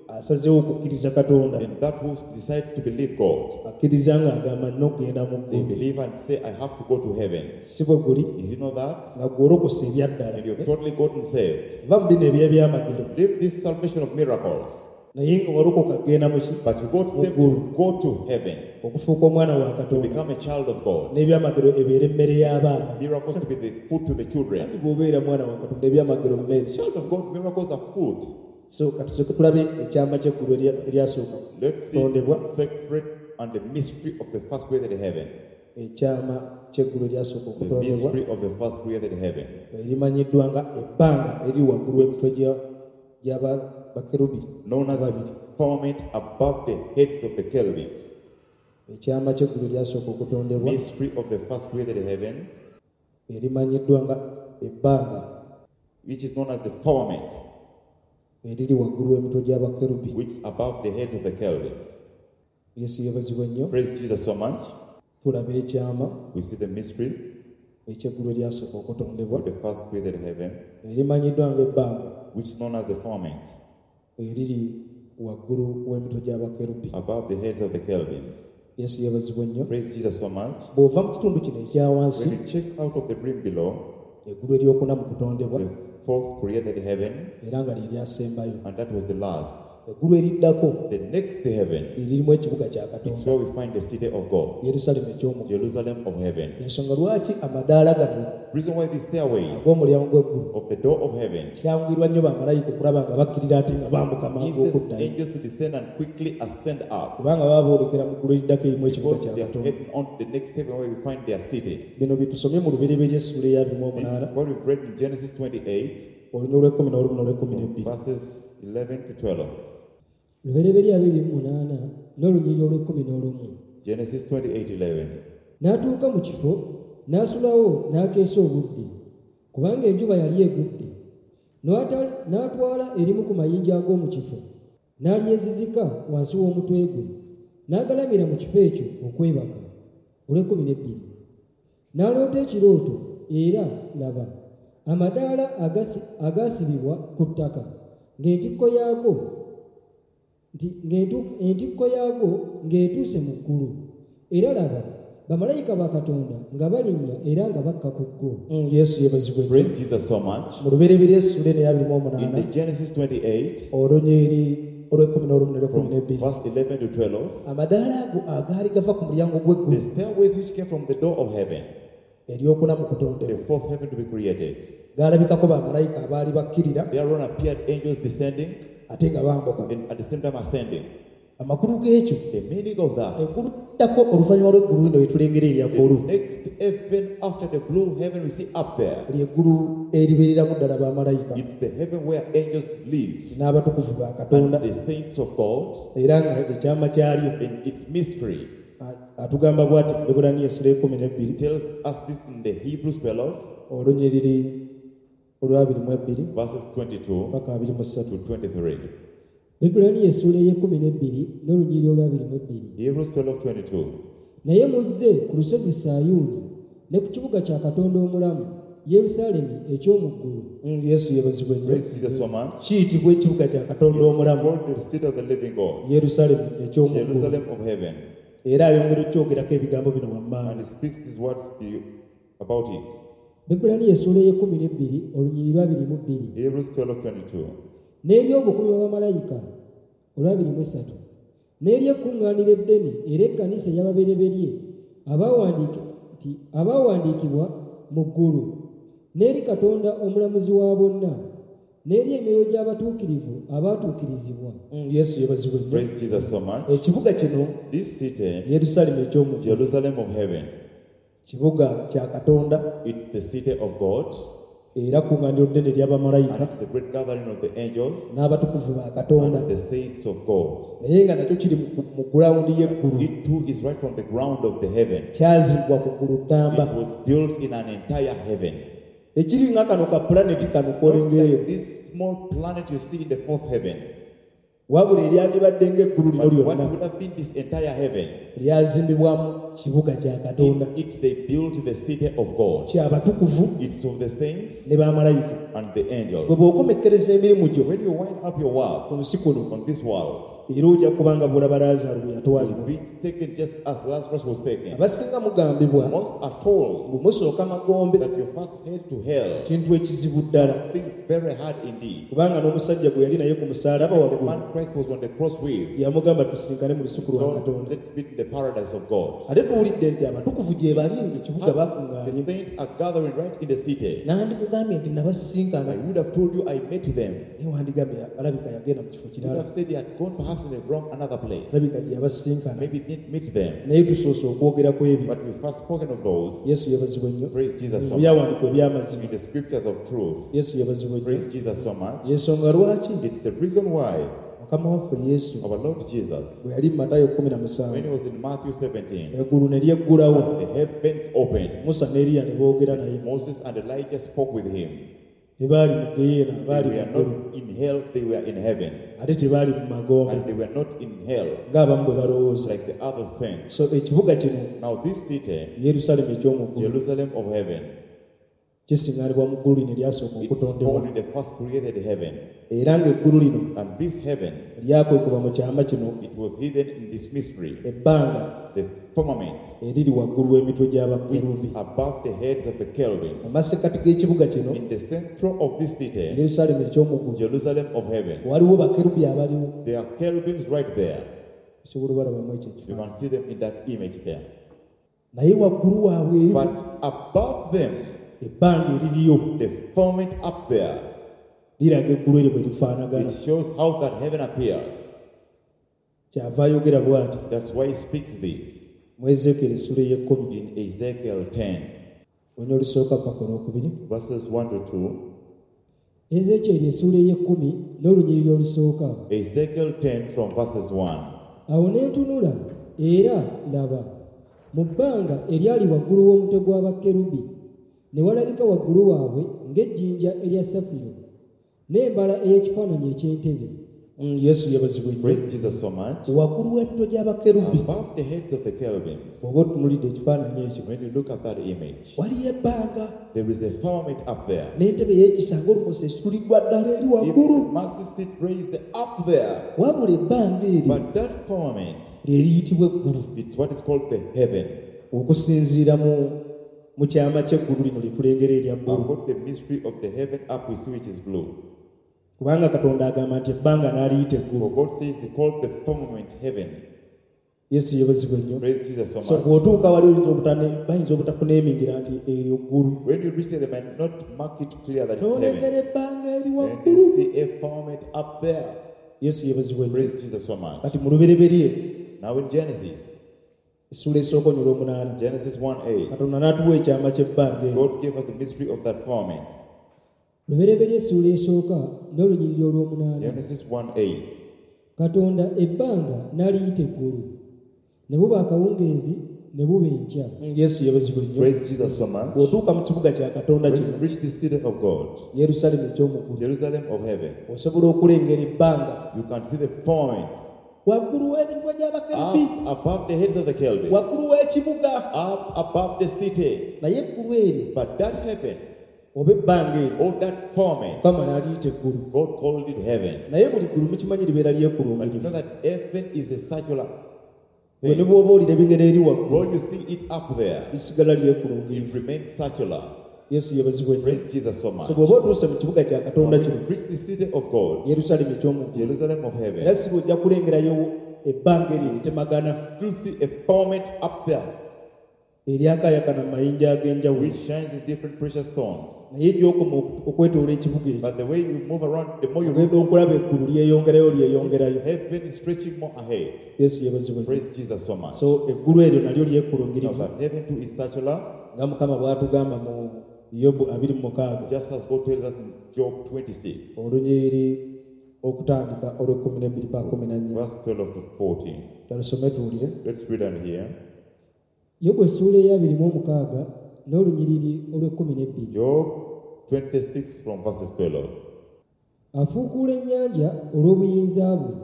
asazeewo okukkiriza Katonda and that who decides to believe God, akkiriza ng'agamba nina okugenda mu they ggulu believe and say, I have to go to heaven. si bwe guli Is it not that? nga gw'olokose ebyaddala And you've totally gotten saved. va mu bino eby'ebyamagero Leave this salvation of miracles. Naye nga walokoka kugenda mu ki? But you got saved to go to heaven, Okufuuka omwana wa to Katonda. become a child of God. N'ebyamagero ebeere emmere y'abaana. Miracles to be the food to the children. Kandi bw'obeera mwana wa Katonda ebyamagero mmere. Child of God, miracles are food. So kati tusooke tulabe ekyama ky'eggulu erya- eryasooka Let's see kutondebwa. secret and the mystery of the first created heaven. Ekyama ky'eggulu eryasooka The okutondebwa mystery of the first created heaven. erimanyiddwa nga ebbanga eriri waggulu w'emitwe gya- gy'aba bakerubi Known as the ababiri. firmament above the heads of the cherubims. Ekyama ky'eggulu eryasooka okutondebwa Mystery of the first created heaven, erimanyiddwa nga ebbanga which is known as the firmament, eriri waggulu w'emitwe gy'abakerubi. which is above the heads of the cherubims. Yesu yeebazibwe nnyo. Praise Jesus so much. Tulaba ekyama We see the mystery eky'eggulu eryasooka okutondebwa of the first created heaven, erimanyiddwa ng'ebbanga which is known as the firmament, eriri waggulu w'emitwe gy'abakerubi. above the heads of the cherubims. Yesu yeebazibwe nnyo. Praise Jesus so much. Bw'ova mu kitundu kino ekya wansi, When you check out of the brim below, eggulu eryokuna mu kutondebwa, the fourth created heaven, era nga lye lyasembayo. and that was the last. Eggulu eriddako The next heaven, eririmu ekibuga kya it's Katonda, where we find the city of God, Yerusaalemi eky'omu ggulu. Jerusalem of heaven. Ensonga lwaki amadaala gano Reason why these stairways ag'omulyango gw'eggulu of the door of heaven kyanguyirwa nnyo bamalayika okulaba nga bakkirira ate nga bambuka mangu eases okuddayo, angels to descend and quickly ascend up, kubanga baba boolekera mu ggulu eriddako erimu ekibuga because kya they are Katonda. heading on to the next heaven where we find their city. Bino bye tusomye mu Lubereberye essuula eya abiri mu This is omunaana, what we've read in Genesis twenty-eight, olunya olw'ekkumi n'olumu n'olw'ekkumi n'ebbiri. verses eleven to twelve. Lubereberye abiri mu munaana n'olunyiriri olw'ekkumi n'olumu. Genesis twenty-eight eleven. N'atuuka mu kifo n'asulawo n'akeesa obudde, kubanga enjuba yali egudde. N'ata-, n'atwala erimu ku mayinja ag'omu kifo, n'alyezizika wansi w'omutwe gwe, n'agalamira mu kifo ekyo okwebaka. Olw'ekkumi n'ebbiri. N'aloota ekirooto, era laba, amadaala agasi-, agaasibibwa ku ttaka, ng'entikko yaago nti, ng'entu-, entikko yaago ng'etuuse mu ggulu. Era laba, bamalayika ba Katonda nga balinnya era nga bakka ku ggo. Mm, Yesu yeebazibwe nnyo. Praise Jesus so much. Mu Lubereberye essuula eno eya abiri mu In omunaana, the Genesis twenty-eight, olunyiriri olw'ekkumi n'olumu n'olw'ekkumi from n'ebbiri, verse eleven to twelve, amadaala ago agaali gava ku mulyango gw'eggulu the stairways which came from the door of heaven, eryokuna mu kutondebwa, the fourth heaven to be created, gaalabikako bamalayika abaali bakkirira thereon appeared angels descending ate nga bambuka. and at the same time ascending. Amakulu g'ekyo, The meaning of that, eggulu liddako oluvannyuma lw'eggulu lino lye tulengera erya the ggulu, next heaven after the blue heaven we see up there, ly'eggulu eribeereramu ddala bamalayika it's the heaven where angels live n'abatukuvu ba and Katonda, the saints of God, era nga ekyama kyalyo in its mystery. a-, atugamba bw'ati mu Baebbulaniya essuula ekkumi n'ebbiri, It tells us this in the Hebrews twelve, olunyiriri olw'abiri mu ebbiri verses twenty-two paka abiri mu ssatu. to twenty-three. Baebbulaniya essuula ey'ekkumi n'ebbiri n'olunyiriri olw'abiri mu ebbiri. Hebrews twelve twenty-two. Naye muzze ku lusozi Sayuuni ne ku kibuga kya Katonda omulamu, Yerusaalemi eky'omu ggulu. Mm, Yesu yeebazibwe nnyo. Praise Jesus so much. Kiyitibwa ekibuga kya Katonda It's omulamu, called the city of the living God, Yerusaalemi eky'omu ggulu. Jerusalem of heaven. Era ayongera okyogerako ebigambo bino wammanga. And he speaks these words about it. Baebbulaniya essuula ey'ekkumi n'ebbiri olunyiriri lw'abiri mu bbiri. Hebrews twelve twenty-two. N'eri obukumi bwa bamalayika olw'abiri mu essatu. N'eri ekkuŋŋaaniro eddene era ekkanisa ey'ababereberye abawandiike nti abaawandiikibwa mu ggulu, n'eri Katonda omulamuzi wa bonna, n'eri emyoyo gy'abatuukirivu abaatuukirizibwa. Mm, Yesu yeebazibwe nnyo. Praise Jesus so much. Ekibuga kino, This city, Yerusaalemi eky'omu ggulu, Jerusalem of heaven, kibuga kya Katonda, it's the city of God, era kkuŋŋaaniro ddene ery'abamalayika and it's a great gathering of the angels n'abatukuvu ba Katonda, and the saints of God. naye nga nakyo kiri mu, mu gulawundi y'eggulu. It too is right from the ground of the heaven. Kyazimbwa ku ggulu ddamba. It was built in an entire heaven. Ekiri nga kano ka pulaneti kano Not k'olengera like eno. this small planet you see in the fourth heaven. Wabula eryandibadde ng'eggulu lino But what lyonna. would have been this entire heaven? Lyazimbibwamu kibuga kya In Katonda it they built the city of God. Kyabatukuvu It's of the saints ne bamalayika. And the Bwe angels. bw'okomekkereza emirimu gyo When you wind up your ku works nsi kuno on this world, era ojja kubanga bw'olaba Laazaalo bwe you'll yatwalibwa. be taken just as Lazarus was taken. Abasinga mugambibwa Most are told ngu musooka magombe that you first head to hell. Kintu ekizibu ddala. Think very hard indeed. Kubanga n'omusajja gwe yali naye ku musaalaba The waggulu man Christ was on the cross with. yamugamba tusinkane mu lusuku lwa So Katonda. let's meet in the paradise of God. Ate tuwulidde nti abatukuvu gye bali mu kibuga The bakuŋŋaanye. saints are gathering right in the city. Nandikugambye nti nabasisinkana I would have told you I met them. naye wandigambye alabika yagenda mu kifo You would kirala have said they had gone perhaps in a wrong another place. alabika gye yabasisinkana. Maybe didn't meet them. Naye tusoose okwogera ku ebyo. But we first spoken of those. Yesu yeebazibwe nnyo. Praise Jesus so Mu much. byawandiikwa eby'amazima. In the scriptures of truth. Yesu yeebazibwe nnyo. Praise Jesus so much. Yensonga lwaki It's the reason why Mukama waffe Yesu our Lord Jesus, bwe yali mu Matayo kumi na when musanvu he was in Matthew seventeen, eggulu ne lyeggulawo the heavens opened. Musa ne Eriya ne boogera naye. Moses and Elijah spoke with him. Tebaali mu geyeena They baali mu were ggulu not in hell, they were in heaven. Ate tebaali mu magombe And they were not in hell ng'abamu bwe balowooza. Like the other things. So ekibuga kino Now, this city, Yerusaalemi eky'omu ggulu Jerusalem of heaven, kisiŋŋaanibwa mu ggulu lino eryasooka it's okutondebwa found in the first created heaven. Era ng'eggulu lino And this heaven, lyakwekebwa mu kyama kino it was hidden in this mystery, ebbanga the firmament, eriri waggulu w'emitwe which gy'abakerubi is above the heads of the mu cherubims. masekkati g'ekibuga kino In the central of this city, Yerusaalemi eky'omu ggulu Jerusalem of heaven, waliwo bakerubi abaliwo. There are cherubims right there. Osobola obalabamu ekyo You ekifaananyi. can see them in that image there. Naye waggulu waabwe eri But above them, ebbanga eririyo the firmament up there, liraga eggulu eryo bwe lifaanagana. It shows how that heaven appears. Kyava ayogera bw'ati That's why he speaks this mu Ezeekeri essula ey'ekkumi in Ezekiel ten, onya olusooka paka olwokubiri. Verses one to two. Ezeekyeri essuula ey'ekkumi n'olunyiriri olusooka. Ezekiel ten from verses one. Awo ne ntunula era laba mu bbanga eryali waggulu w'omutwe gw'abakerubi ne walabika waggulu waabwe ng'ejjinja erya safiro n'embala ey'ekifaananyi eky'entebe. Mm, Yesu yeebazibwe nnyo. Praise Jesus so much. Waggulu w'emitwe gy'abakerubi Above the heads of the cherubims, bw'oba otunulidde ekifaananyi ekyo when you look at that image, waliyo ebbanga there is a firmament up there. N'entebe y'ekisa ng'olumoso esituliddwa ddala eri Even waggulu. the massive seat raised up there. Wabula ebbanga eryo But that firmament, lye liyitibwa eggulu it's what is called the heaven. Okusinziira mu mu kyama ky'eggulu lino lye tulengera erya bbulu. I've got the mystery of the heaven up we see, which is blue. Kubanga Katonda agamba nti ebbanga n'aliyita eggulu. For God says he called the firmament heaven. Yesu yeebazibwe nnyo. Praise Jesus so So much. bw'otuuka wali oyinza obutane- bayinza obutakuneemingira nti eryo ggulu. When you reach there, they might not mark it clear that it's N'olengera heaven. ebbanga eri And waggulu. you see a firmament up there. Yesu yeebazibwe nnyo. Praise Jesus so much. Kati mu Lubereberye Now in Genesis, essuula esooka onyula omunaana Genesis one eight, Katonda n'atuwa ekyama ky'ebbanga eryo. God gave us the mystery of that firmament. Lubereberye essuula esooka n'olunyiriri olw'omunaana. Genesis one eight. Katonda ebbanga n'aliyita eggulu ne buba akawungeezi ne buba enkya. Yesu yeebazibwe nnyo. Praise Jesus so much. Bw'otuuka mu kibuga kya Katonda When kino you reach the city of God, Yerusaalemi eky'omu ggulu Jerusalem of heaven, osobola okulengera ebbanga you can see the firmament waggulu w'emitwe gy'abakerubi up above the heads of the cherubims, waggulu w'ekibuga up above the city. Naye eggulu eryo But that heaven, oba ebbanga eryo or that firmament, Mukama n'aliyita eggulu. God called it heaven. Naye buli ggulu mukimanyi libeera But you lyekulungirivu. know that heaven is a circular Bwe ne thing. bw'oba olira ebingero eri waggulu When you see it up there, lisigala lyekulungirivu. It remains circular. Yesu yeebazibwe nnyo. Praise Jesus so much. So bw'oba otuuse mu kibuga kya Katonda When kino you reach the city of God, Yerusaalemi eky'omu ggulu Jerusalem of era heaven, si lw'ojja kulengerayo ebbanga eryo eritemagana you'll see a firmament up there eryakaayakana mu mayinja ag'enjawulo which shines in different precious stones. Naye gy'okoma oku- okwetoola ekibuga ekyo But the way you move around, the more you ogenda okulaba eggulu lyeyongerayo lyeyongerayo. Heaven is stretching more ahead. Yesu yeebazibwe nnyo. Praise Jesus so much. So eggulu eryo nalyo Now lyekulungirivu that heaven too is circular, nga Mukama bw'atugamba mu Yobu abiri mu mukaaga just as God tells us in Job twenty-six, olunyiriri okutandika olw'ekkumi n'ebbiri pa kkumi na nnya. Verse twelve to fourteen. Kalusome tuwulire. Let's read on here. Yobu essuula ey'abiri mu omukaaga n'olunyiriri olw'ekkumi n'ebbiri. Job twenty-six from verses twelve. Afuukuula ennyanja olw'obuyinza bwe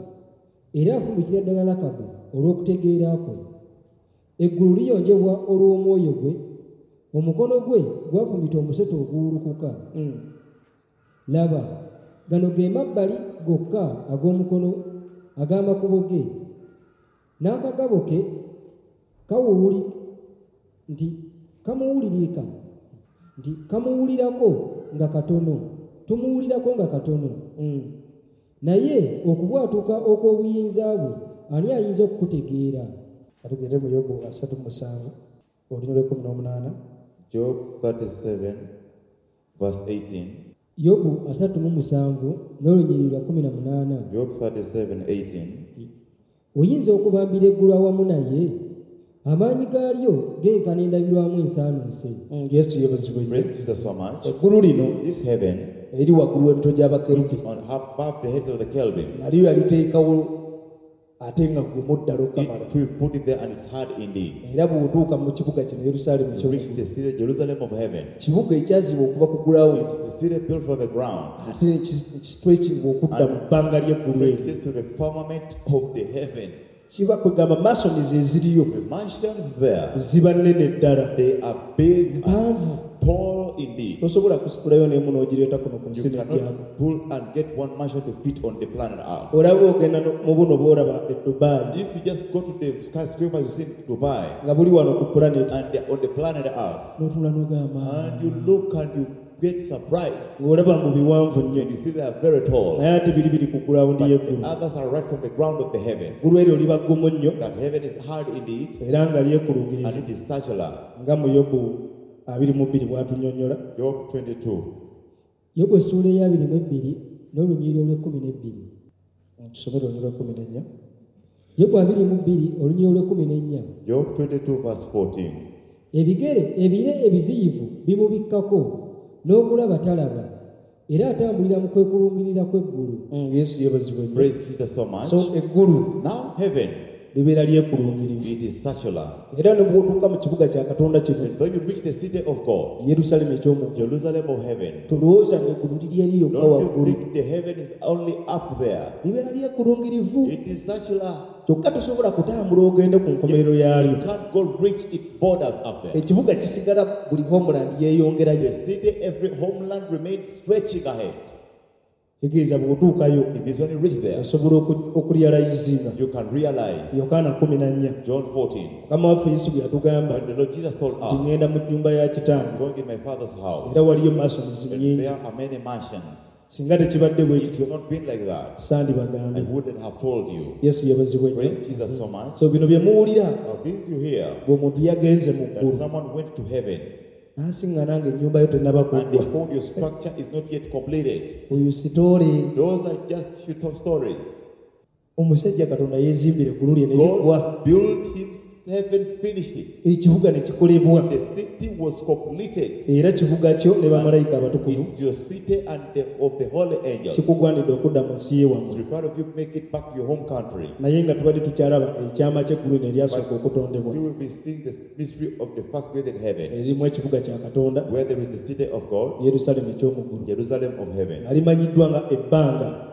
era afumikira ddala Lakabu olw'okutegeera kwe. Eggulu liyonjebwa olw'omwoyo gwe, omukono gwe gwafumita omusota oguwulukuka. Mm. Laba, gano ge mabbali gokka ag'omukono ag'amakubo ge. N'akagabo ke kawuwuli nti kamuwulirika nti kamuwulirako nga katono, tumuwulirako nga katono. Mm. Naye okubwatuka okw'obuyinza bwe ani ayinza okukutegeera? Katugende mu Yobu asatu mu musanvu olunyiriri lw'ekkumi n'omunaana. Job thirty-seven, verse eighteen. Yobu asatu mu musanvu n'olunyiriri lwa kkumi na munaana. Job thirty-seven, eighteen. Oyinza okubambira eggulu awamu naye? Amaanyi gaalyo genkana endabirwamu ensaanuuse. Mm, Yesu yeebazibwe nnyo. Praise Jesus so much. Eggulu lino This heaven eri waggulu w'emitwe gy'abakerubi. on above the heads of the cherubims. Nalyo yaliteekawo ate nga gumu ddala okukamala. It will put it there and it's hard indeed. Era bw'otuuka mu kibuga kino Yerusaalemi To reach eky'omu the city, Jerusalem of heaven. Kibuga ekyazibwa okuva ku ground. It's a city built from the ground. Ate ne ki-, kitwekingibwa okudda mu bbanga ly'eggulu eryo. Just to the firmament of the heaven. Kiba kwegamba masons eziriyo The mansions there, ziba nnene ddala. they are big and Mpanvu. tall indeed. Tosobola kusitulayo n'emu n'ogireeta kuno ku You nsi cannot n'ejjako. pull and get one mansion to fit on the planet Earth. Olaba ogenda no-, mu buno bw'olaba e Dubai. If you just go to the skyscrapers you see in Dubai, nga buli wano ku planet. and they're on the planet Earth, N'otunula n'ogamba, and you look and you get surprised. Ng'olaba mu biwanvu nnyo. And you see they are very tall. Naye ate biri biri ku ground But y'eggulu. the others are right from the ground of the heaven. Eggulu eryo liba ggumu nnyo. That heaven is hard indeed. Era nga lyekulungirivu. And it is circular. Nga mu Yobu abiri mu bbiri bw'atunnyonnyola. Job twenty-two. Yobu essuula ey'abiri mu ebbiri n'olunyiriri olw'ekkumi n'ebbiri. Tusomere olunyiriri lw'ekkumi n'ennya. Yobu abiri mu bbiri olunyiriri olw'ekkumi n'ennya. Job twenty-two verse fourteen. Ebigere ebire ebiziyivu bimubikkako n'okulaba talaba era atambulira mu kwekulungirira kw'eggulu. Mm, Yesu yeebazibwe nnyo. Praise Jesus so much. So eggulu now heaven libeera lyekulungirivu. It is circular. Era ne bw'otuuka mu kibuga kya Katonda kino, And when you reach the city of God, Yerusaalemi eky'omu ggulu, Jerusalem of heaven, tolowooza ng'eggulu liri eri yokka don't you waggulu. think the heaven is only up there? Libeera lyekulungirivu. It is circular. Kyokka tosobola kutambula ogende ku nkomerero yaalyo. You can't go reach its borders up there. Ekibuga kisigala buli homeland yeeyongerayo. The city, every homeland remains stretching ahead. Kitegeeza bw'otuukayo, It is when you reach there, osobola oku-, okurealizinga. you can realize. Yokaana kkumi na nnya. John fourteen. Mukama waffe Yesu bwe yatugamba, When the Lord Jesus told nti us, ŋŋenda mu nnyumba ya kitange. going in my father's house. Era waliyo mansions And nnyingi. there are many mansions. Singa tekibadde bwe It kityo, has not been like that. sandibagambye. I wouldn't have told you. Yesu yeebazibwe nnyo. Praise Jesus so much. So bino bye muwulira, Now this you hear, bw'omuntu yagenze mu that ggulu. someone went to heaven. N'asiŋŋana ng'ennyumba yo tennaba And they kuggwa. found your structure is not yet completed. Oyo sitoole. Those are just shoot of stories. Omusajja Katonda yeezimbira eggulu lye ne liggwa. God built him heavens, finished it. Ekibuga ne kikolebwa. The city was completed. Era kibuga kyo ne bamalayika abatukuvu. It's your city and the, of the holy angels. Kikugwanidde okudda mu nsi ye wammwe. It's required of you to make it back to your home country. Naye nga tubadde tukyalaba ekyama ky'eggulu lino eryasooka But okutondebwa. still we'll be seeing the mystery of the first created heaven. Erimu ekibuga kya Katonda. Where there is the city of God. Yerusaalemi eky'omu ggulu. Jerusalem of heaven. Nga limanyiddwa nga ebbanga.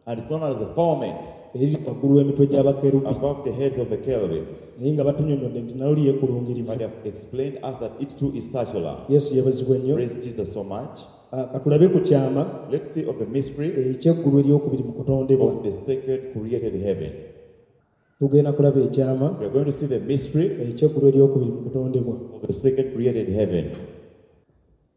And it's known as the firmament. Eriri waggulu w'emitwe gy'abakerubi. Above the heads of the cherubims. Naye nga batunnyonnyodde nti nalwo lyekulungirivu. But they have explained us that it too is circular. Yesu yeebazibwe nnyo. Praise Jesus so much. Ah, katulabe ku kyama Let's see of the mystery eky'eggulu eryokubiri mu kutondebwa. of the second created heaven. Tugenda kulaba ekyama We are going to see the mystery eky'eggulu eryokubiri mu kutondebwa. of the second created heaven.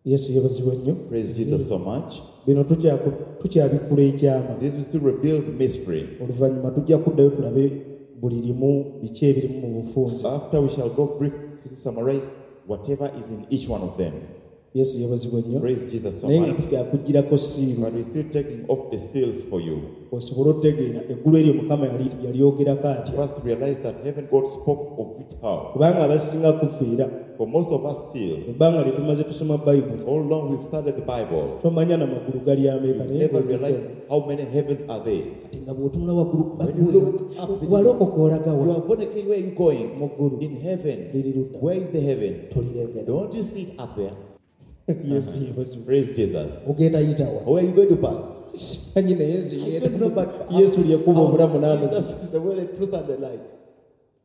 Yesu yeebazibwe nnyo. Praise Jesus so much. Bino tukyaku-, tukyabikkula ekyama. This will still reveal the mystery. Oluvannyuma tujja kuddayo tulabe buli limu biki ebirimu mu bufunze. After we shall go briefly summarize whatever is in each one of them. Yesu yeebazibwe nnyo. Praise Jesus so Naye nga much. tukyakuggyirako siiru. But we're still taking off the seals for you. Osobole otegeera eggulu eryo Mukama yali-, yalyogerako atya. First realize that heaven God spoke of it how. Kubanga abasinga kuffe era. For most of us still, Ebbanga lye tumaze tusoma Bayibuli. all along we've studied the Bible. Tomanya na magulu gali ameka, You naye never ng'ogeza. realize how many heavens are there. Kati nga bw'otunula waggulu, When you bakubuuza, look up, the walokoka olaga wa? You are born again, where are you going? Mu ggulu. In heaven. Liri ludda. Where is the heaven? Tolirengera. Don't you see it up there? Yesu yeebazibwe. Praise Jesus. Ogenda yitawa. Where are you going to pass? Simanyi naye nze I don't know, but Yesu ly'ekkubo obulamu n'amazima. Jesus is the way, the truth, and the life.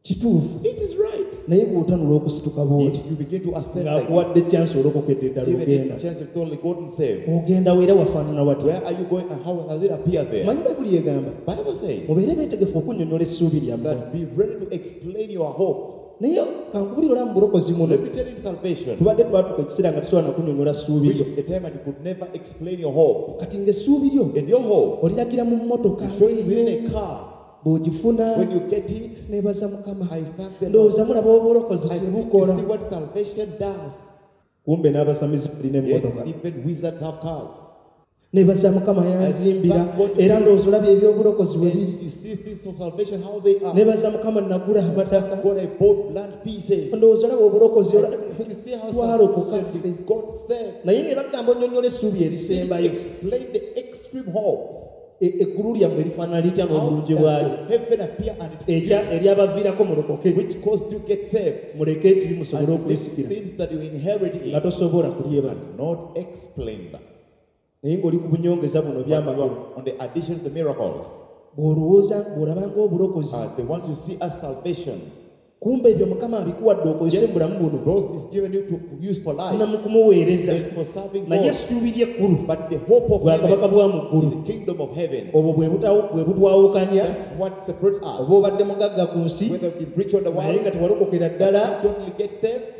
Kituufu. It is right. Naye bw'otanula okusituka bw'oti If you begin to ascend like this, ng'akuwadde chance olokokedde ddala given ogenda the chance you've totally gotten saved. ogenda weera wafaanana watya? Where are you going and how does it appear there? Manyi Bayibuli egamba Bible says mubeere beetegefu okunnyonnyola essuubi lyammwe. That be ready to explain your hope. Naye kankubulira olaba mu bulokozi muno Let me tell you, in salvation, tubadde twatuuka ekiseera nga tusobola nakunnyonnyola ssuubi lyo. Reached a time and you could never explain your hope. Kati ng'essuubi lyo And your hope, oliragira mu mmotoka you show it within a car. Bw'ogifuna When you get it, neebaza Mukama. I thank the Lord. Ndowooza mulaba obulokozi I think you kyebukola. see what salvation does. Kumbe n'abasamizi balina Yet emmotoka. even wizards have cars. Neebaza Mukama yanzimbira era ndowooza olaba ebyobulokozi bwe biri. And you see things of salvation, how they are. Neebaza Mukama nagula amataka. God, I bought land pieces. Ndowooza olaba obulokozi ola- You see how twalokoka salvation ffe. we got saved. Naye ne bagamba onnyonnyola essuubi erisembayo. Explain the extreme hope. E- eggulu lyammwe lifaanana litya How n'obulungi does bwalyo your heaven appear and its Ekya- beauty, eryabaviirako mulokoke which caused you get saved? Muleke ekibi musobole And the okulisikira sins that you inherit nga tosobola kulyebala. Cannot explain that. Naye ng'oli ku bunyongeza buno But you byamagero are on the addition of the miracles, bw'olowooza bw'olabanga obulokozi uh, the ones you see as salvation, kumbe ebyo Mukama abikuwadde okozese mu bulamu buno those is given you to use for life na mu kumuweereza and for serving naye God. essuubi ly'ekkulu But the hope of bwakabaka heaven bwa mu ggulu is the kingdom of heaven. obwo bwe butawo- bwe butwawukanya That's what separates us. oba obadde mugagga ku nsi Whether we be rich on the naye world, nga tewalokokera ddala you totally get saved,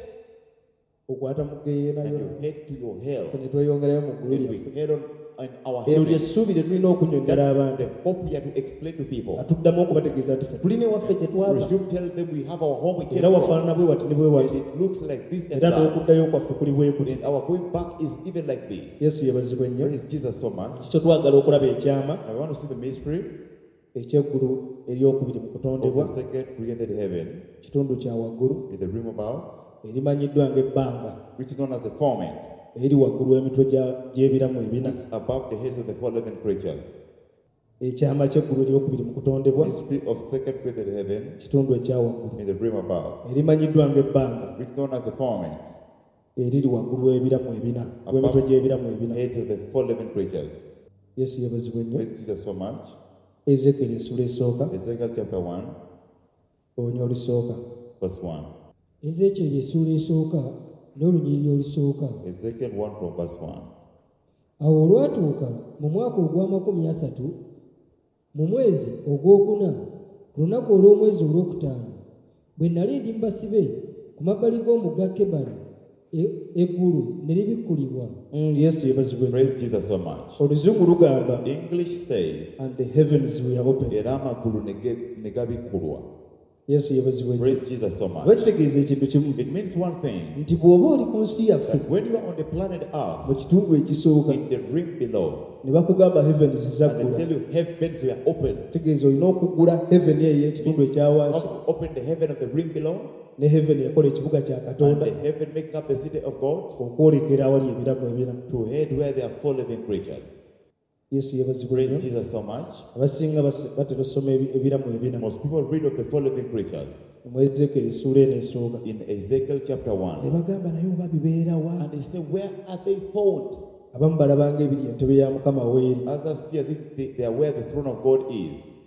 okwata mu and ggeyenayo you head to your hell. ne tweyongerayo mu ggulu And lyaffe. we head on in our Eryo heaven. lyessuubi lye tulina okunnyonnyola abantu. The hope we are to explain to people. Nga tuddamu okubategeeza nti ffe tulina ewaffe gye twava Resume tell them we have our home we came era from. wafaanana bwe wati ne bwe And wati it looks like this and era that. n'okuddayo kwaffe kuli bwe kuti. And our going back is even like this. Yesu yeebazibwe nnyo. Praise Jesus so much. Kikyo twagala okulaba ekyama I want to see the mystery ekyeggulu eryokubiri mu of kutondebwa the second created heaven kitundu kya waggulu in the realm above, erimanyiddwa ng'ebbanga which is known as the firmament, eri waggulu w'emitwe gya- gy'ebiramu ebina. Which is above the heads of the four living creatures. Ekyama ky'eggulu eryokubiri mu kutondebwa Mystery of second created heaven kitundu ekya waggulu in the realm above, erimanyiddwa ng'ebbanga which is known as the firmament, eriri waggulu w'ebiramu ebina w'emitwe gy'ebiramu ebina. Heads of the four living creatures. Yesu yeebazibwe nnyo. Praise Jesus so much. Ezekyeri essula esooka Ezekiel chapter one, olunya olusooka. Verse one. Ezeekyeri essuula esooka n'olunyiriri olusooka. Ezekiel one from verse one. Awo olwatuuka mu mwaka ogw'amakumi asatu mu mwezi ogwokuna ku lunaku olw'omwezi olwokutaano bwe nali ndi mu basibe ku mabbali g'omugga Kebali e- eggulu ne libikkulibwa. Mm, yesu yeebazibwe nnyo. Praise Jesus so much. Oluzungu lugamba English says, and the heavens were open. Era amagulu ne ge- ne gabikkulwa. Yesu yeebazibwe nnyo. Praise Jesus so Oba much. kitegeeza ekintu kimu It means one thing, nti bw'oba oli ku nsi yaffe that when you are on the planet Earth, mu kitundu ekisooka in the realm below, ne bakugamba heavens and they zaggula tell you heavens were opened. Kitegeeza olina okuggula heaven eyo ekitundu ekya wansi How to open the heaven of the realm below, ne heaven ekola ekibuga kya and Katonda the heaven make up the city of God okwolekera awali ebiramu ebina. To head where there are four living creatures. Yesu yeebazibwe Praise nnyo. Jesus so much. Abasinga bas- batera osoma ebi- ebiramu ebina Most people read of the four living creatures mu Ezekyeri essuula eno esooka in Ezekiel chapter ne one. bagamba naye oba bibeera wa? And they say, where are they found? Abamu balabanga ebiri entebe ya Mukama weeri. Others see as if they, they are where the throne of God is.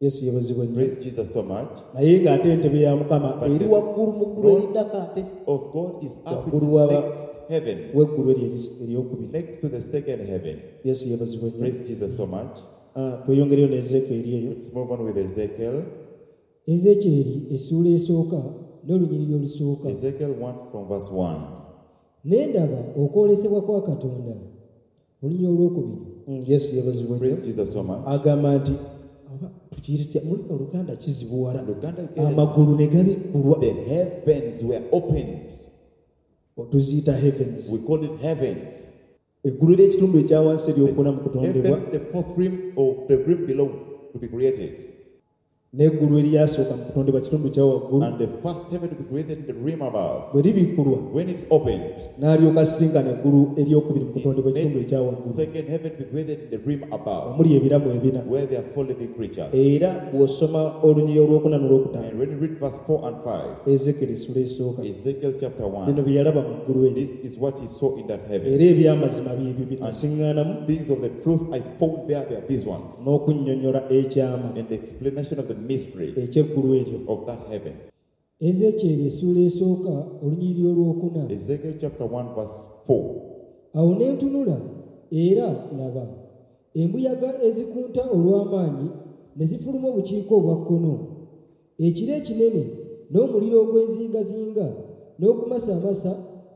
Yesu yeebazibwe nnyo. Praise Jesus so much. Naye ng'ate entebe ya Mukama But eri the waggulu mu ggulu throne eriddako ate of God is up in waggulu the waba next heaven, w'eggulu eri eri- eryokubiri. Next to the second heaven. Yesu yeebazibwe nnyo. Praise Jesus so much. Ah, tweyongereyo ne Ezekyeri eyo. Let's move on with Ezekiel. Ezeekyeri essuula esooka n'olunyiriri olusooka. Ezekiel one from verse one. Ne ndaba okwolesebwa kwa Katonda olunyiriri olwokubiri. Mm, yesu yeebazibwe nnyo. Praise Jesus so much. Agamba nti oba tukiyite tutya mu lulimi Oluganda kizibuwala Luganda, amagulu ne gabikkulwa. The heavens were opened. Tuziyita heavens. We call it heavens. Eggulu ly'ekitundu ekya wansi eryokuna mu kutondebwa Heaven, the fourth realm of the realm below to be created. N'eggulu eryasooka mu kutondebwa kitundu kya waggulu And the first heaven to be created in the realm above. Bwe libikkulwa When it's opened, n'alyoka asinkana eggulu eryokubiri mu kutondebwa ekitundu ekya waggulu second heaven to be created in the realm above, omuli ebiramu ebina. Where there are four living creatures. Era bw'osoma olunyiriri olwokuna n'olwokutaano And when you read verse four and five, Ezekeri essula esooka Ezekiel chapter one, bino bye yalaba mu ggulu eryo this is what he saw in that heaven. Era ebyamazima byebyo bye nasiŋŋaanamu Things of the truth I found there, they are these ones. N'okunnyonnyola ekyama And the explanation of the mystery Ekyeggulu eryo. Of that heaven. Ezeekyeri essuula esooka olunyiriri olwokuna. Ezekiel chapter one, verse four. Awo ne ntunula era laba embuyaga ezikunta olw'amaanyi ne zifuluma obukiika obwa kkono ekire ekinene n'omuliro ogw'enzingazinga n'okumasamasa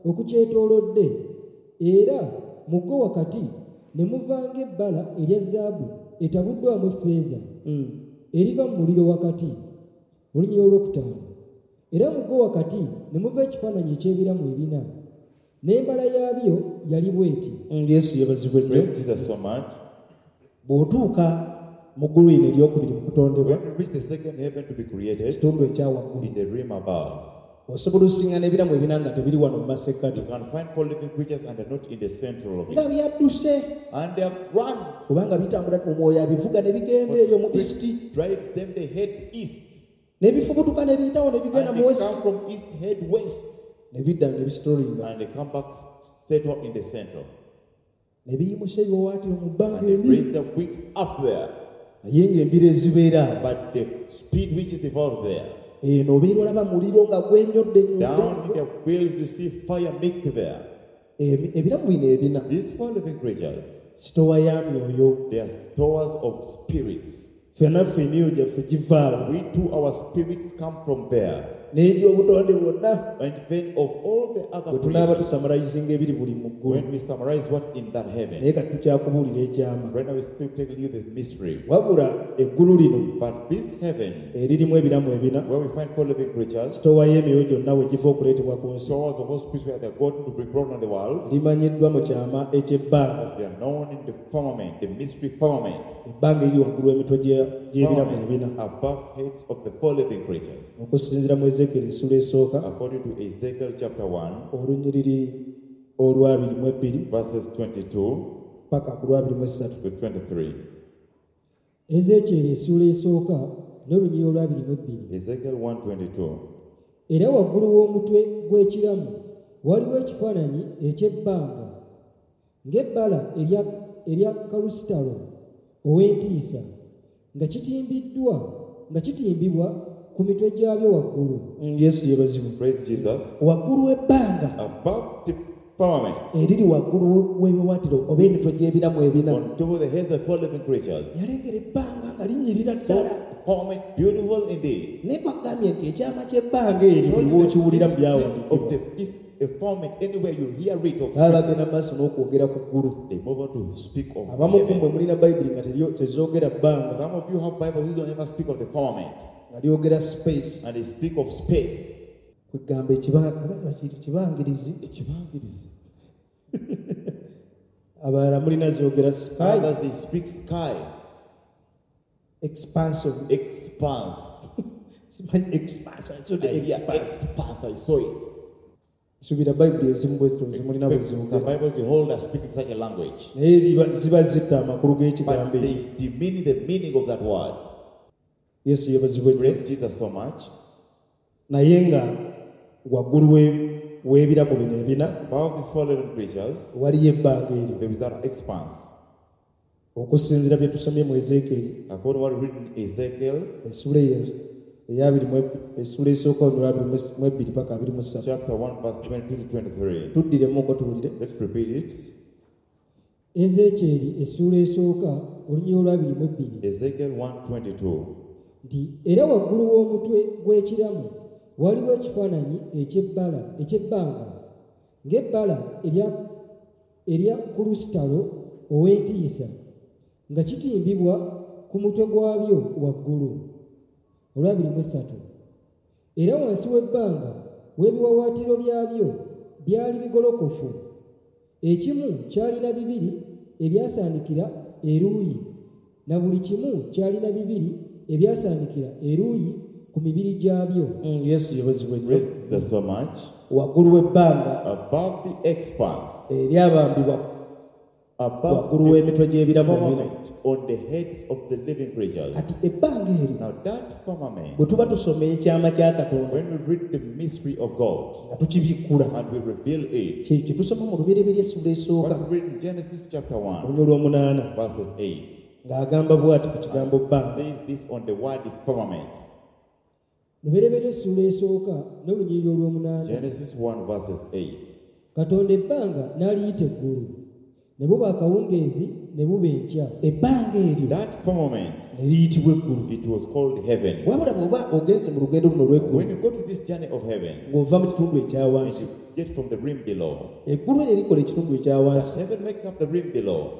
okukyetoolodde era mu gwo wakati ne muva ng'ebbala erya zaabu etabuddwamu effeeza Mm. eriva mu muliro wakati. Olunyiriri olwokutaano era mu gwo wakati ne muva ekifaananyi eky'ebiramu ebina n'embala yaabyo yali bw'eti. Mm, yesu yeebazibwe nnyo. Praise Jesus so much. Bw'otuuka mu ggulu lino eryokubiri mu kutondebwa, When we reach the second heaven to be created, kitundu ekya waggulu, in the realm above, osobola osisinkana ebiramu ebina nga tebiri wano mu masekkati you can find four living creatures and they're not in the central of nga it. byadduse And they have run. Kubanga bitambula omwoyo abivuga ne bigenda eyo mu east Drives them, they head east. Ne bifubutuka ne biyitawo ne bigenda And mu they west come from east, head west. Ne bidda ne bisitolinga And they come back, settle in the central. Ne biyimusa ebiwawaatiro mu bbanga And they eri raise their wings up there. Naye ng'embiro ezibeera awo But the speed which is involved there, eno obeera olaba muliro nga gwenyodde down in nyodde. their wheels, you see fire mixed there. Emi- ebiramu bino ebina These four living creatures, sitowa ya myoyo. They are stores of spirits. Ffenna ffe emyoyo gyaffe givaawo We too, our spirits come from there. N'egy'obutonde bwonna And then of all the other bwe tunaaba creatures, tusumarizinga ebiri buli mu ggulu. When we summarize what's in that heaven, Naye kati tukyakubuulira ekyama. Right now we're still telling you the mystery. Wabula eggulu lino But this heaven, eririmu ebiramu ebina where we find four living creatures, sitowa y'emyoyo gyonna we giva okuleetebwa ku nsi stores of all spirits where they're gotten to be brought on the world, limanyiddwa mu kyama eky'ebbanga they are known in the firmament, the mystery firmament. Ebbanga eriri waggulu w'emitwe gye- gy'ebiramu ebina Firmament above heads of the four living creatures. Okusinziira mu Ezeekeri essuula esooka According to Ezekiel chapter one, olunyiriri olwabiri mu ebbiri verses twenty-two paka ku lwabiri mu essatu. To twenty-three. Ezeekyeri essuula esooka n'olunyiriri olwabiri mu ebbiri. Ezekiel one twenty-two. Era waggulu w'omutwe gw'ekiramu waliwo ekifaananyi eky'ebbanga ng'ebbala erya, erya kalusitalo ow'entiisa nga kitimbiddwa nga kitimbibwa ku mitwe gyabyo waggulu. Mm, yesu yeebazibwe. Praise Jesus. Waggulu w'ebbanga Above the firmament, eriri waggulu w'ebiwaatiro oba emitwe gy'ebiramu ebina on top of the heads of four living creatures. Yalengera ebbanga nga linyirira So ddala. Firmament, beautiful indeed. Naye kwagambye nti ekyama ky'ebbanga eri buli lw'okiwulira mu Of byawandiikibwa the if a firmament, anywhere you hear it of baba bagenda mu maaso n'okwogera ku ggulu. They move on to speak of Abamu ku mmwe heaven. mulina bayibuli nga teryo- tezoogera bbanga Some of you have Bibles who don't ever speak of the firmament, nga lyogera space. And they speak of space. Kwegamba ekiba- oba bakiyita kibangirizi. Ekibangirizi. Abalala mulina zoogera sky. Others, they speak sky, expansion. Expanse. Simanyi expanse, I saw the I hear expanse. Expanse, I saw it. Suubira bayibuli ezimu bwe zityo zemulina bwe Expect some zoogera Bibles you hold are speaking such a language. Naye liba- ziba zitta amakulu g'ekigambo But ekyo. they demean the meaning of that word. Yesu yeebazibwe nnyo. Praise Jesus so much. Naye nga waggulu we- w'ebiramu bino ebina Above these four living creatures, waliyo ebbanga eryo there is that expanse. Okusinziira bye tusomye mu Ezeekeri According to what we read in Ezekiel essuula eyo eyabiri mu eb- essuula esooka olwa abiri mu es- mu ebbiri paka abiri mu ssatu. Chapter one, verse twenty-two to twenty-three. Tuddiremuko tuwulire. Let's repeat it. Ezeekyeri essuula esooka olunyiriri olwabiri mu ebbiri. Ezekiel one twenty-two. Nti era waggulu w'omutwe gw'ekiramu waliwo ekifaananyi eky'ebbala eky'ebbanga ng'ebbala erya, erya kulusitalo ow'entiisa nga kitimbibwa ku mutwe gwabyo waggulu. Olwabiri mu essatu era wansi w'ebbanga w'ebiwaawaatiro byabyo byali bigolokofu ekimu kyalina bibiri ebyasaanikira eruuyi na buli kimu kyalina bibiri ebyasaanikira eruuyi ku mibiri gyabyo. Mm, yesu yeebazibwe nnyo. Praise Jesus so much. Waggulu w'ebbanga Above the expanse, eryabambibwa above waggulu the w'emitwe gy'ebiramu ebina firmament on the heads of the living creatures. Kati ebbanga eryo Now that firmament, bwe tuba tusoma ekyama kya Katonda when we read the mystery of God nga tukibikkula and we reveal it, kye kye tusoma mu lubereberye essula esooka what we read in Genesis chapter one, olunya olw'omunaana verses eight. Ng'agamba bw'ati ku kigambo bbanga. Says this on the word firmament. Lubereberye essuula esooka n'olunyiriri olw'omunaana. Genesis one verses eight. Katonda ebbanga n'aliyita eggulu, ne buba akawungeezi ne buba enkya. Ebbanga eryo That firmament, ne liyitibwa eggulu. it was called heaven. Wabula bw'oba ogenze mu lugendo luno olw'eggulu, When you go to this journey of heaven, ng'ova mu kitundu ekya wansi, you get from the rim below. Eggulu eryo erikola ekitundu ekya wansi Heaven making up the rim below.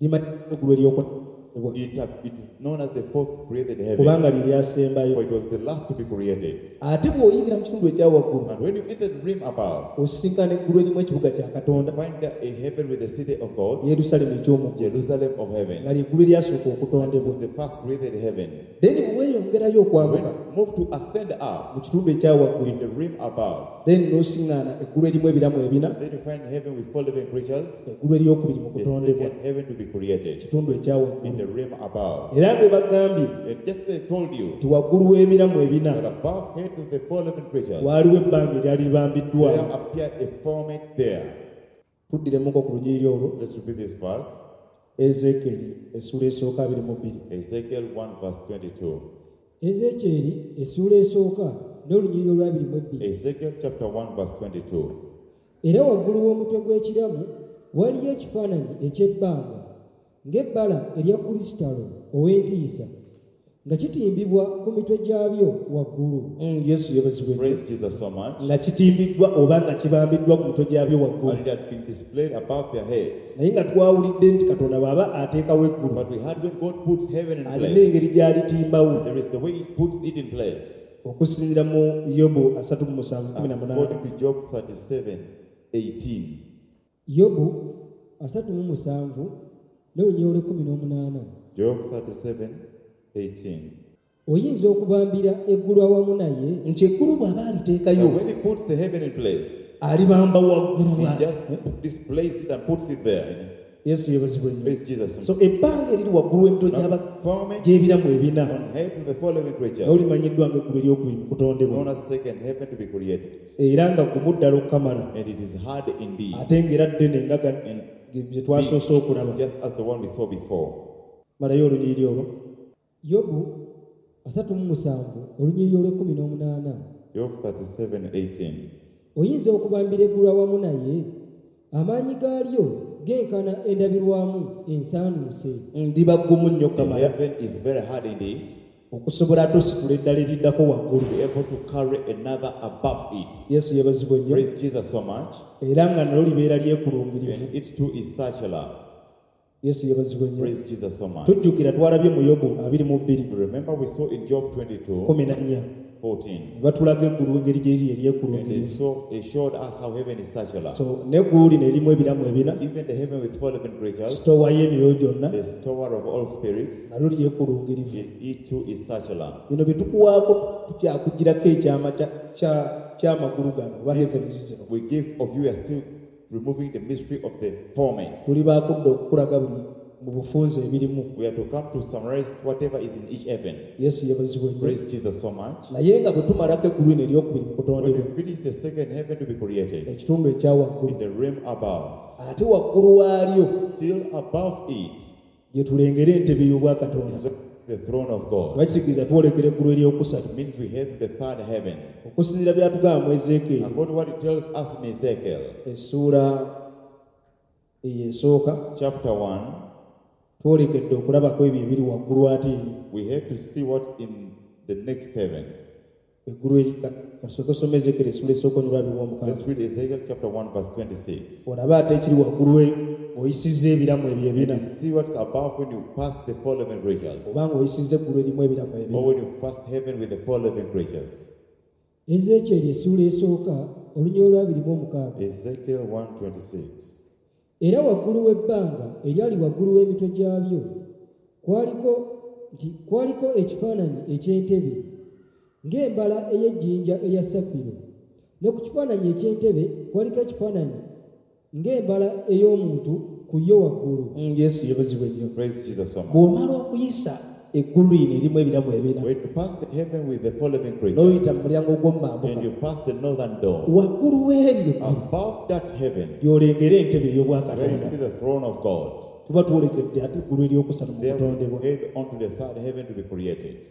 Limanyiddwa eggulu ery'okwatibwa. It, it is known as the fourth created heaven. Kubanga lye lyasembayo. For it was the last to be created. Ate bw'oyingira mu kitundu ekya waggulu, And when you enter the rim above, osisinkana eggulu erimu ekibuga kya Katonda, you find there a heaven with the city of God, Yerusaalemi eky'omu ggulu, Jerusalem of heaven. Nga lye ggulu eryasooka It okutondebwa. was the first created heaven. Then bwe weeyongerayo When okwambuka you move to ascend up mu kitundu ekya waggulu, in the rim above, then n'osiŋŋaana eggulu erimu ebiramu ebina, then you find heaven with four living creatures, eggulu eryokubiri mu the kutondebwa, second heaven to be created kitundu ekya in waggulu. the rim above. Era nga bagambye And just they told you nti waggulu w'ebiramu ebina that above heads of the four living creatures, waaliwo ebbanga eryali libambiddwawo. there appeared a firmament there. Tuddiremuko ku lunyiriri olwo. Let's repeat this verse. Ezeekeri essuula esooka abiri mu bbiri. Ezekiel one verse twenty-two. Ezeekyeri essuula esooka n'olunyiriri olw'abiri mu ebbiri. Ezekiel chapter one verse twenty-two. Era waggulu w'omutwe gw'ekiramu waliyo ekifaananyi eky'ebbanga ng'ebbala erya kulisitalo ow'entiisa nga kitimbibwa ku mitwe gyabyo waggulu. Mm, Yesu yeebazibwe. Praise Jesus so much. Nga kitimbiddwa oba nga kibambiddwa ku mitwe gyabyo waggulu. And it had been displayed above their heads. Naye nga twawulidde nti Katonda bw'aba ateekawo eggulu, But we heard when God puts heaven in alina place, engeri gy'alitimbawo. there is the way he puts it in place. Okusinziira mu Yobu asatu mu musanvu kumi na munaana. According to Job thirty-seven eighteen. Yobu asatu mu musanvu n'olunyiriri olw'ekkumi n'omunaana. Job thirty-seven eighteen. Oyinza okubambira eggulu awamu naye? Nti eggulu bw'aba aliteekayo, Now when he puts the heaven in place, alibamba waggulu he wa. just displays it and puts it there. Yesu yeebazibwe nnyo. Praise Jesus. So ebbanga eriri waggulu w'emitwe Now, gy'aba- firmament gy'ebiramu ebina on heads of the four living creatures, n'olimanyiddwa ng'eggulu eryokubiri mu kutondebwa, known as second heaven to be created. Era nga gumu ddala okukamala, And it is hard indeed, ate ng'era ddene nga ga- and bye twasoose okulaba. just as the one we saw before. Malayo olunyiriri olwo. Yobu asatu mu musanvu olunyiriri olw'ekkumi n'omunaana. Job thirty-seven eighteen. Oyinza okubambira eggulu awamu naye? Amaanyi gaalyo genkana endabirwamu ensaanuuse. Ndiba ggumu nnyo The okukamala heaven is very hard indeed okusobola ate ositula eddala eriddako waggulu. to be able to carry another above it. Yesu yeebazibwe nnyo. Praise Jesus so much. Era nga nalyo libeera lyekulungirivu. And it too is circular. Yesu yeebazibwe nnyo. Praise Jesus so much. Tujjukira twalabye mu Yobu abiri mu bbiri Remember we saw in Job twenty-two kumi na nnya fourteen. ne batulaga eggulu engeri gye liri And they eryekulungirivu. saw they showed us how heaven is circular. So n'eggulu lino erimu ebiramu ebina, Even the heaven with four living creatures, sitoowa y'emyoyo gyonna, the storer of all spirits, nalyo lyekulungirivu. it, it too is circular. Bino bye tukuwaako tukyakugirako ekyama kya- kya- ky'amagulu gano oba heavens zino. We give of you are still removing the mystery of the firmament. Tuli baakudda okukulaga buli mu bufunze ebirimu. We are to come to summarize whatever is in each heaven. Yesu yeebazibwe nnyo. Praise Jesus so much. Naye nga bwe tumalako eggulu lino eryokubiri mu When kutondebwa, we finish the second heaven to be created, ekitundu ekya waggulu, in the realm above, ate waggulu waalyo still above it, gye tulengera entebe y'obwakatonda. is the throne of God. Oba kitegeeza twolekera eggulu eryokusatu. It means we head to the third heaven. Okusinziira byatugamba mu Ezeekyeri According to what it tells us in Ezekiel, essuula eyo esooka, chapter one, twolekedde okulabako ebyo ebiri waggulu ate eri we have to see what's in the next heaven. Eggulu eri. Kasooke osome Ezeekyeri essuula esooka onyulwa abiri mu Let's omukaaga. read Ezekiel chapter one, verse twenty-six. Olabe ate ekiri waggulu we ng'oyisizza ebiramu ebyo ebina, You see what's above when you pass the four living creatures, oba ng'oyisizza eggulu erimu ebiramu ebina. or when you pass heaven with the four living creatures. Ezeekyeri essuula esooka olunyiriri olw'abiri mu omukaaga. Ezekiel one twenty-six. Era waggulu w'ebbanga eryali waggulu w'emitwe gyabyo kwaliko nti kwaliko ekifaananyi eky'entebe ng'embala ey'ejjinja erya safiro, ne ku kifaananyi eky'entebe kwaliko ekifaananyi ng'embala ey'omuntu ku yo waggulu. Mm, Yesu yeebazibwe nnyo. Praise Jesus so much. Bw'omala okuyisa eggulu lino erimu ebiramu ebina, When you pass the heaven with the four living creatures, n'oyita mu mulyango gw'omumambuka, and you pass the northern door, waggulu w'eryo eggulu above that heaven, gy'olengera entebe where you ey'obwakatonda. see the throne of God. Tuba twolekedde ate eggulu eryokusatu mu Then kutondebwa. we head on to the third heaven to be created.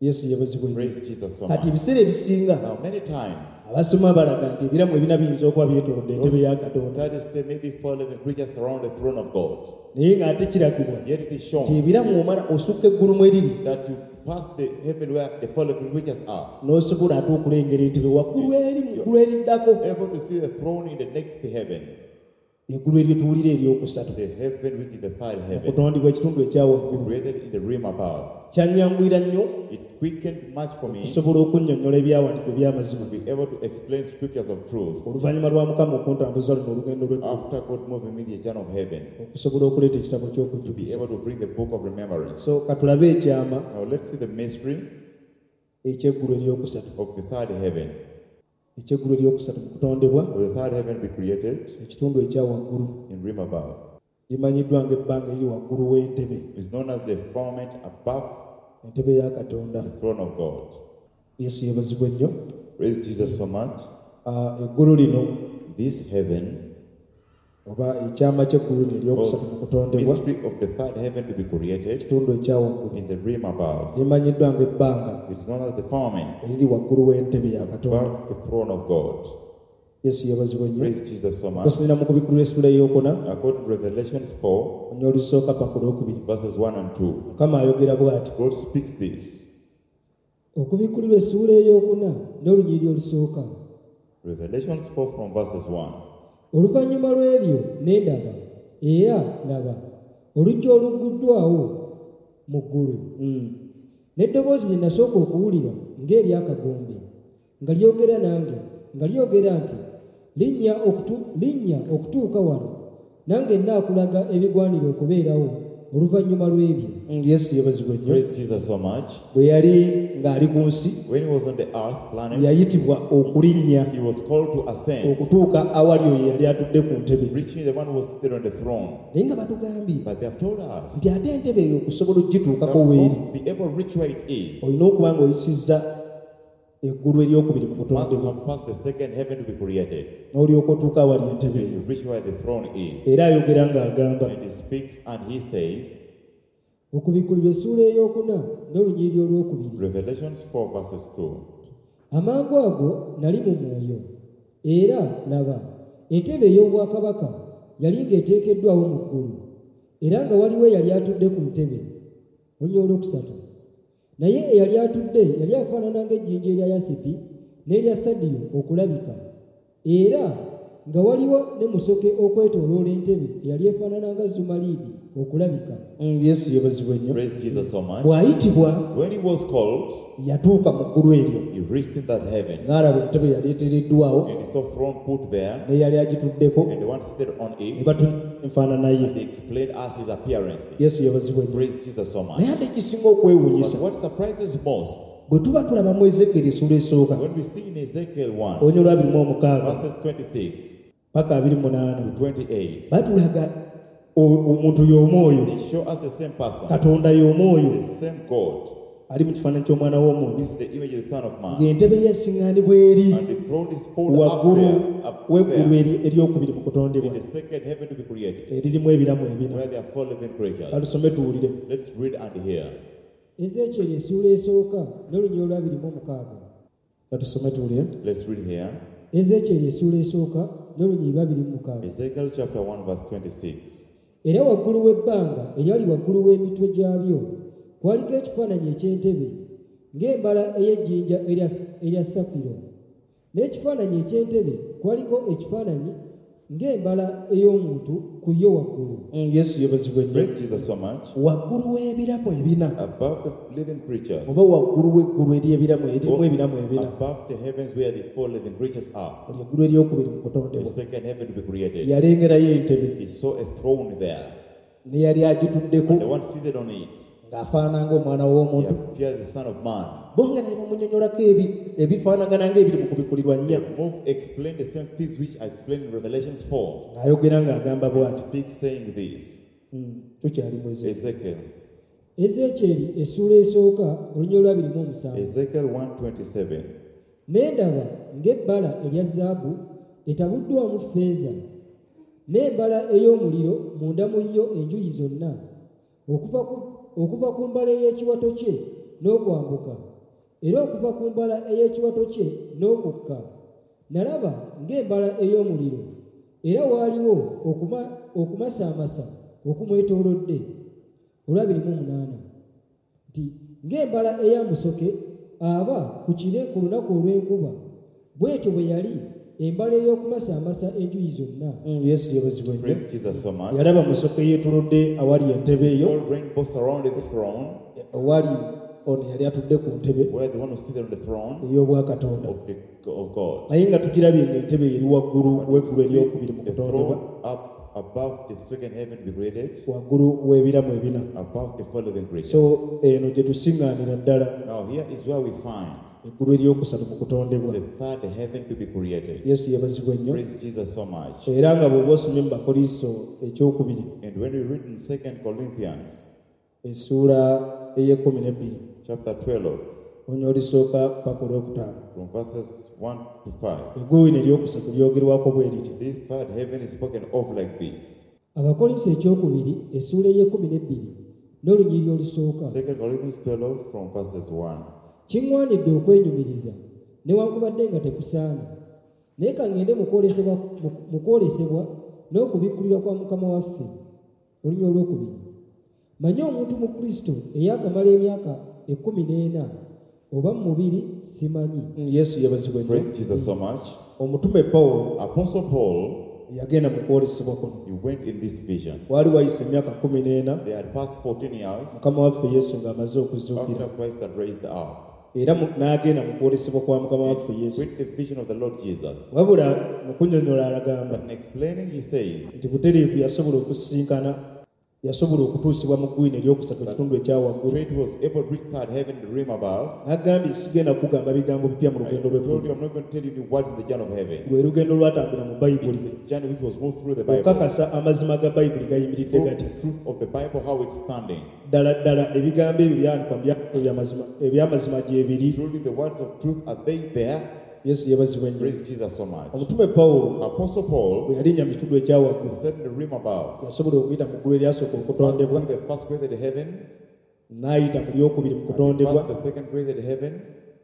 Yesu yeebazibwe nnyo. Praise Jesus so Kati much. ebiseera ebisinga Now, many times, abasoma balaga nti ebiramu ebina biyinza okuba byetoolodde entebe ya Katonda. Studies say maybe four living creatures surround the throne of God. Naye ng'ate kiragibwa Yet it is nti shown ebiramu omala osukka eggulu mwe riri that you pass the heaven where the four living creatures are, n'osobola ate okulengera entebe waggulu eri mu ggulu eriddako able to see the throne in the next heaven, eggulu eryo tuwulira eryokusatu the heaven which is the third heaven, okutondebwa ekitundu ekya waggulu. created in the realm above. Kyanyanguyira nnyo It quickened much for me okusobola okunnyonnyola ebyawandiikibwa eby'amazima to be able to explain scriptures of truth oluvannyuma lwa Mukama okuntambuza luno olugendo lw'eggulu after God moving me the journey of heaven okusobola okuleeta ekitabo to be ky'okujjukiza. able to bring the book of remembrance. So katulabe ekyama Now let's see the mystery ekyeggulu eryokusatu of the third heaven. ekyeggulu eryokusatu mu kutondebwa Of the third heaven be created ekitundu ekya waggulu in realm above. limanyiddwa ng'ebbanga eriri waggulu w'entebe It's known as the firmament above entebe ya Katonda. the throne of God. Yesu yeebazibwe nnyo. Praise Jesus so much. Ah, eggulu lino This heaven, oba ekyama ky'eggulu lino eryokusatu mu or kutondebwa mystery of the third heaven to be created ekitundu ekya waggulu in the realm above. limanyiddwa ng'ebbanga It's known as the firmament eriri waggulu w'entebe ya Katonda. above the throne of God. Yesu yeebazibwe nnyo. Praise Jesus so much. Okusinziira mu kubikkulirwa essula ey'okuna According to Revelations four, onye olusooka paka olwokubiri verses one and two, Mukama ayogera bw'ati. God speaks this. Okubikkulirwa essuula ey'okuna n'olunyiriri olusooka. Revelations four from verses one. Oluvannyuma lw'ebyo ne ndaba, era laba, oluggi olugguddwawo mu ggulu. Mm. N'eddoboozi lye nasooka okuwulira ng'ery'akagombe, nga lyogera nange, nga lyogera nti, linnya okutu-, linnya okutuuka wano, nange nnaakulaga ebigwanira okubeerawo oluvannyuma lw'ebyo. Mm, Yesu yeebazibwe nnyo. Praise Jesus so much. Bwe yali ng'ali ku nsi When he was on the earth planet, yayitibwa okulinnya he was called to ascend, okutuuka awali oyo yali atudde ku ntebe. reaching the one who was seated on the throne. Naye nga batugambye But they have told us nti ate entebe eyo okusobola that okugituukako weeri to be able to reach where it is, olina okuba ng'oyisizza eggulu eryokubiri mu must kutondebwa have passed the second heaven to be created. n'olyoka otuuka awali entebe eyo. You reach where the throne is. Era ayogera ng'agamba And he speaks and he says, Okubikkulirwa essuula ey'okuna n'olunyiriri olwokubiri. Revelations four verses two. Amangu ago nali mu mwoyo, era laba, entebe ey'obwakabaka yali ng'eteekeddwawo mu ggulu, era nga waliwo eyali atudde ku ntebe. Olunyiriri olwokusatu. Naye eyali atudde yali afaanana ng'ejjinja erya yasipi n'erya sadiyo okulabika, era nga waliwo ne musoke okwetooloola entebe eyali efaanana nga zumaliidi okulabika. Mm, Yesu yeebazibwe nnyo. Praise Jesus so much. Bw'ayitibwa When he was called, yatuuka mu ggulu eryo he reached in that heaven n'alaba entebe yali eteereddwawo and he saw throne put there n'eyali agituddeko and the one seated on ne it. batunyonnyola enfaanana ye. They explained us his appearance. Yesu yeebazibwe nnyo. Praise Jesus so much. Naye ate ekisinga okwewuunyisa But what surprises most, bwe tuba tulaba mu Ezeekyeri essuula esooka when we see in Ezekiel one, olunyiriri lwa abiri mu omukaaga verses twenty-six paka abiri mu munaana to twenty-eight, batulaga o- omuntu y'omu oyo they show us the same person, Katonda y'omu oyo the same God, ali mu kifaananyi ky'omwana w'omuntu who is the image of the Son of Man. ng'entebe ye esiŋŋaanibwa eri And the throne is pulled up waggulu there, up w'eggulu there, eri- eryokubiri mu kutondebwa in the second heaven to be created, eririmu ebiramu ebina. where there are four living creatures. Katusome tuwulire. Let's read and hear. Ezeekyeri essuula esooka n'olunyiriri olwa abiri mu omukaaga. Katusome tuwulire. Let's read here. Ezeekyeri essuula esooka n'olunyiriri lwa abiri mu mukaaga. Ezekiel chapter one verse twenty-six. Era waggulu w'ebbanga eryali waggulu w'emitwe gyabyo kwaliko ekifaananyi eky'entebe ng'embala ey'ejjinja erya, erya safiro. N'ekifaananyi eky'entebe kwaliko ekifaananyi ng'embala ey'omuntu ku yo waggulu. Mm, Yesu yeebazibwe nnyo. Praise Jesus so much. Waggulu w'ebiramu ebina Above the living creatures, oba waggulu w'eggulu ery'ebiramu eririmu ebiramu ebina above the heavens where the four living creatures are, olyo eggulu eryokubiri mu the kutondebwa second heaven to be created. yalengerayo entebe He saw a throne there, ne yali agituddeko the one seated on it. ng'afaanana ng'omwana He w'omuntu. appeared the Son of Man. Bo nga ne bamunnyonnyolako ebi- ebifaanagana ng'ebiri mu kubikkulirwa nnya. The move explained the same things which are explained in Revelations four. Ng'ayogera ng'agamba bw'ati. Speaks saying this. Mm, tukyali mu Ezeekyeri. Ezekiel. Ezeekyeri essuula esooka olunyiriri lwa abiri mu omusanvu. Ezekiel one twenty-seven. Ne ndaba ng'ebbala erya zaabu etabuddwamu ffeeza N'embala ey'omuliro munda mu yo enjuyi zonna, okuva ku, okuva ku mbala ey'ekiwato kye n'okwambuka, era okuva ku mbala ey'ekiwato kye n'okukka. Nalaba ng'embala ey'omuliro, era waaliwo okuma, okumasaamasa okumwetoolodde. Olwabiri mu munaana nti ng'embala eya musoke aba ku kire ku lunaku olw'enkuba, bw'etyo bwe yali embala ey'okumasaamasa enjuyi zonna. Mm, Yesu yeebazibwe nnyo. Praise Jesus so much. Yalaba musoke yeetolodde awali entebe eyo, All rainbow surrounded the throne, owali ono yali atudde ku ntebe where the one who seated on the throne ey'obwakatonda. of, the, of God. Naye nga tugirabye ng'entebe eri waggulu But we w'eggulu see eryokubiri mu the kutondebwa, throne up above the second heaven be created, waggulu w'ebiramu ebina. above the four living creatures. So eno gye tusiŋŋaanira ddala Now here is where we find eggulu eryokusatu mu kutondebwa. the third heaven to be created. Yesu yeebazibwe nnyo. Praise Jesus so much. Era nga bw'oba osomye mu Bakoliiso ekyokubiri And when we read in Second Corinthians essuula ey'ekkumi n'ebbiri chapter twelve, onya olisooka paka olwokutaano, from verses one to five, eggulu lino eryokusatu lyogerwako bwe riti. this third heaven is spoken of like this. Abakolinso ekyokubiri essuula ey'ekkumi n'ebbiri n'olunyiriri olusooka. Second Corinthians twelve from verses one. Kiŋŋwanidde okwenyumiriza newankubadde nga tekusaana, naye ka ŋŋende mu kwolesebwa, mu kwolesebwa n'okubikkulirwa kwa Mukama waffe. Olunyiriri olwokubiri. Manye omuntu mu Kristo eyaakamala emyaka ekkumi n'ena, oba mu mubiri simanyi. Mm, Yesu yeebazibwe nnyo. Praise Jesus so much. Omutume Pawulo Apostle Paul, yagenda mu kwolesebwa kuno. he went in this vision. Waali wayise emyaka kkumi n'ena They had passed fourteen years Mukama waffe Yesu ng'amaze okuzuukira. after Christ had raised up. Era mu-, n'agenda mu kwolesebwa kwa Mukama waffe Yesu. With the vision of the Lord Jesus. Wabula mu kunnyonnyola alagamba But in explaining, he says nti butereevu yasobola okusisinkana, yasobola okutuusibwa mu ggwina eryokusatu ekitundu ekya waggulu. Straight was able to reach third heaven, the realm above. N'agambye sigenda kugamba bigambo bipya mu I lugendo told lw'eggulu. you I'm not going to tell you new words in the journey of heaven. Lwe lugendo lwatambula mu Bayibuli. It's a journey which was moved through the Bible. Okukakasa amazima ga Bayibuli gayimiridde Proof gatya. the truth of the Bible, how it's standing. Ddala ddala ebigambo ebyo byandikwa mu byandiko by'amazima, eby'amazima gye biri. Truly the words of truth, are they there? Yesu yeebazibwe nnyo. Praise Jesus so much. Omutume Pawulo Apostle Paul bwe yalinnya mu kitundu ekya waggulu, said in the realm above, yasobola okuyita mu ggulu eryasooka okutondebwa, passed through the first created heaven, n'ayita mu lyokubiri mu and he kutondebwa, passed the second created heaven,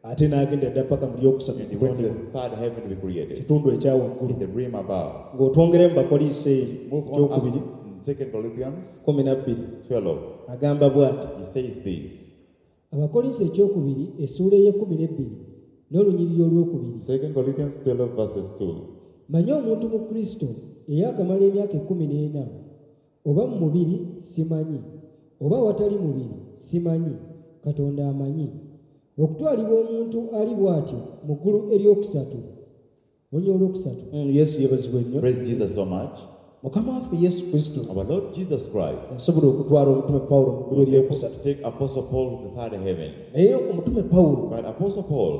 ate n'agenda dda paka mu lyokusatu mu and he went to kutondebwa. the third heaven to be created, Kitundu ekya waggulu. in the realm above. Ng'otwongere mu Bakoliiso eyo, Move on ekyokubiri, us in Second Corinthians kkumi na bbiri, twelve. agamba bw'ati. He says this. Abakolinso ekyokubiri essuula ey'ekkumi n'ebbiri n'olunyiriri olwokubiri. Second Corinthians twelve verses two. Manye omuntu mu Kristo eyaakamala emyaka ekkumi n'ena, oba mu mubiri simanyi, oba awatali mubiri simanyi, Katonda amanyi. Okutwalibwa omuntu ali bw'atyo mu ggulu eryokusatu. Olunyiriri olwokusatu. Mm, Yesu yeebazibwe nnyo. Praise Jesus so much. Mukama waffe Yesu Kristo Our Lord Jesus Christ yasobola okutwala omutume Pawulo mu ggulu was able eryokusatu. to take Apostle Paul to the third heaven. Naye omutume Pawulo But Apostle Paul,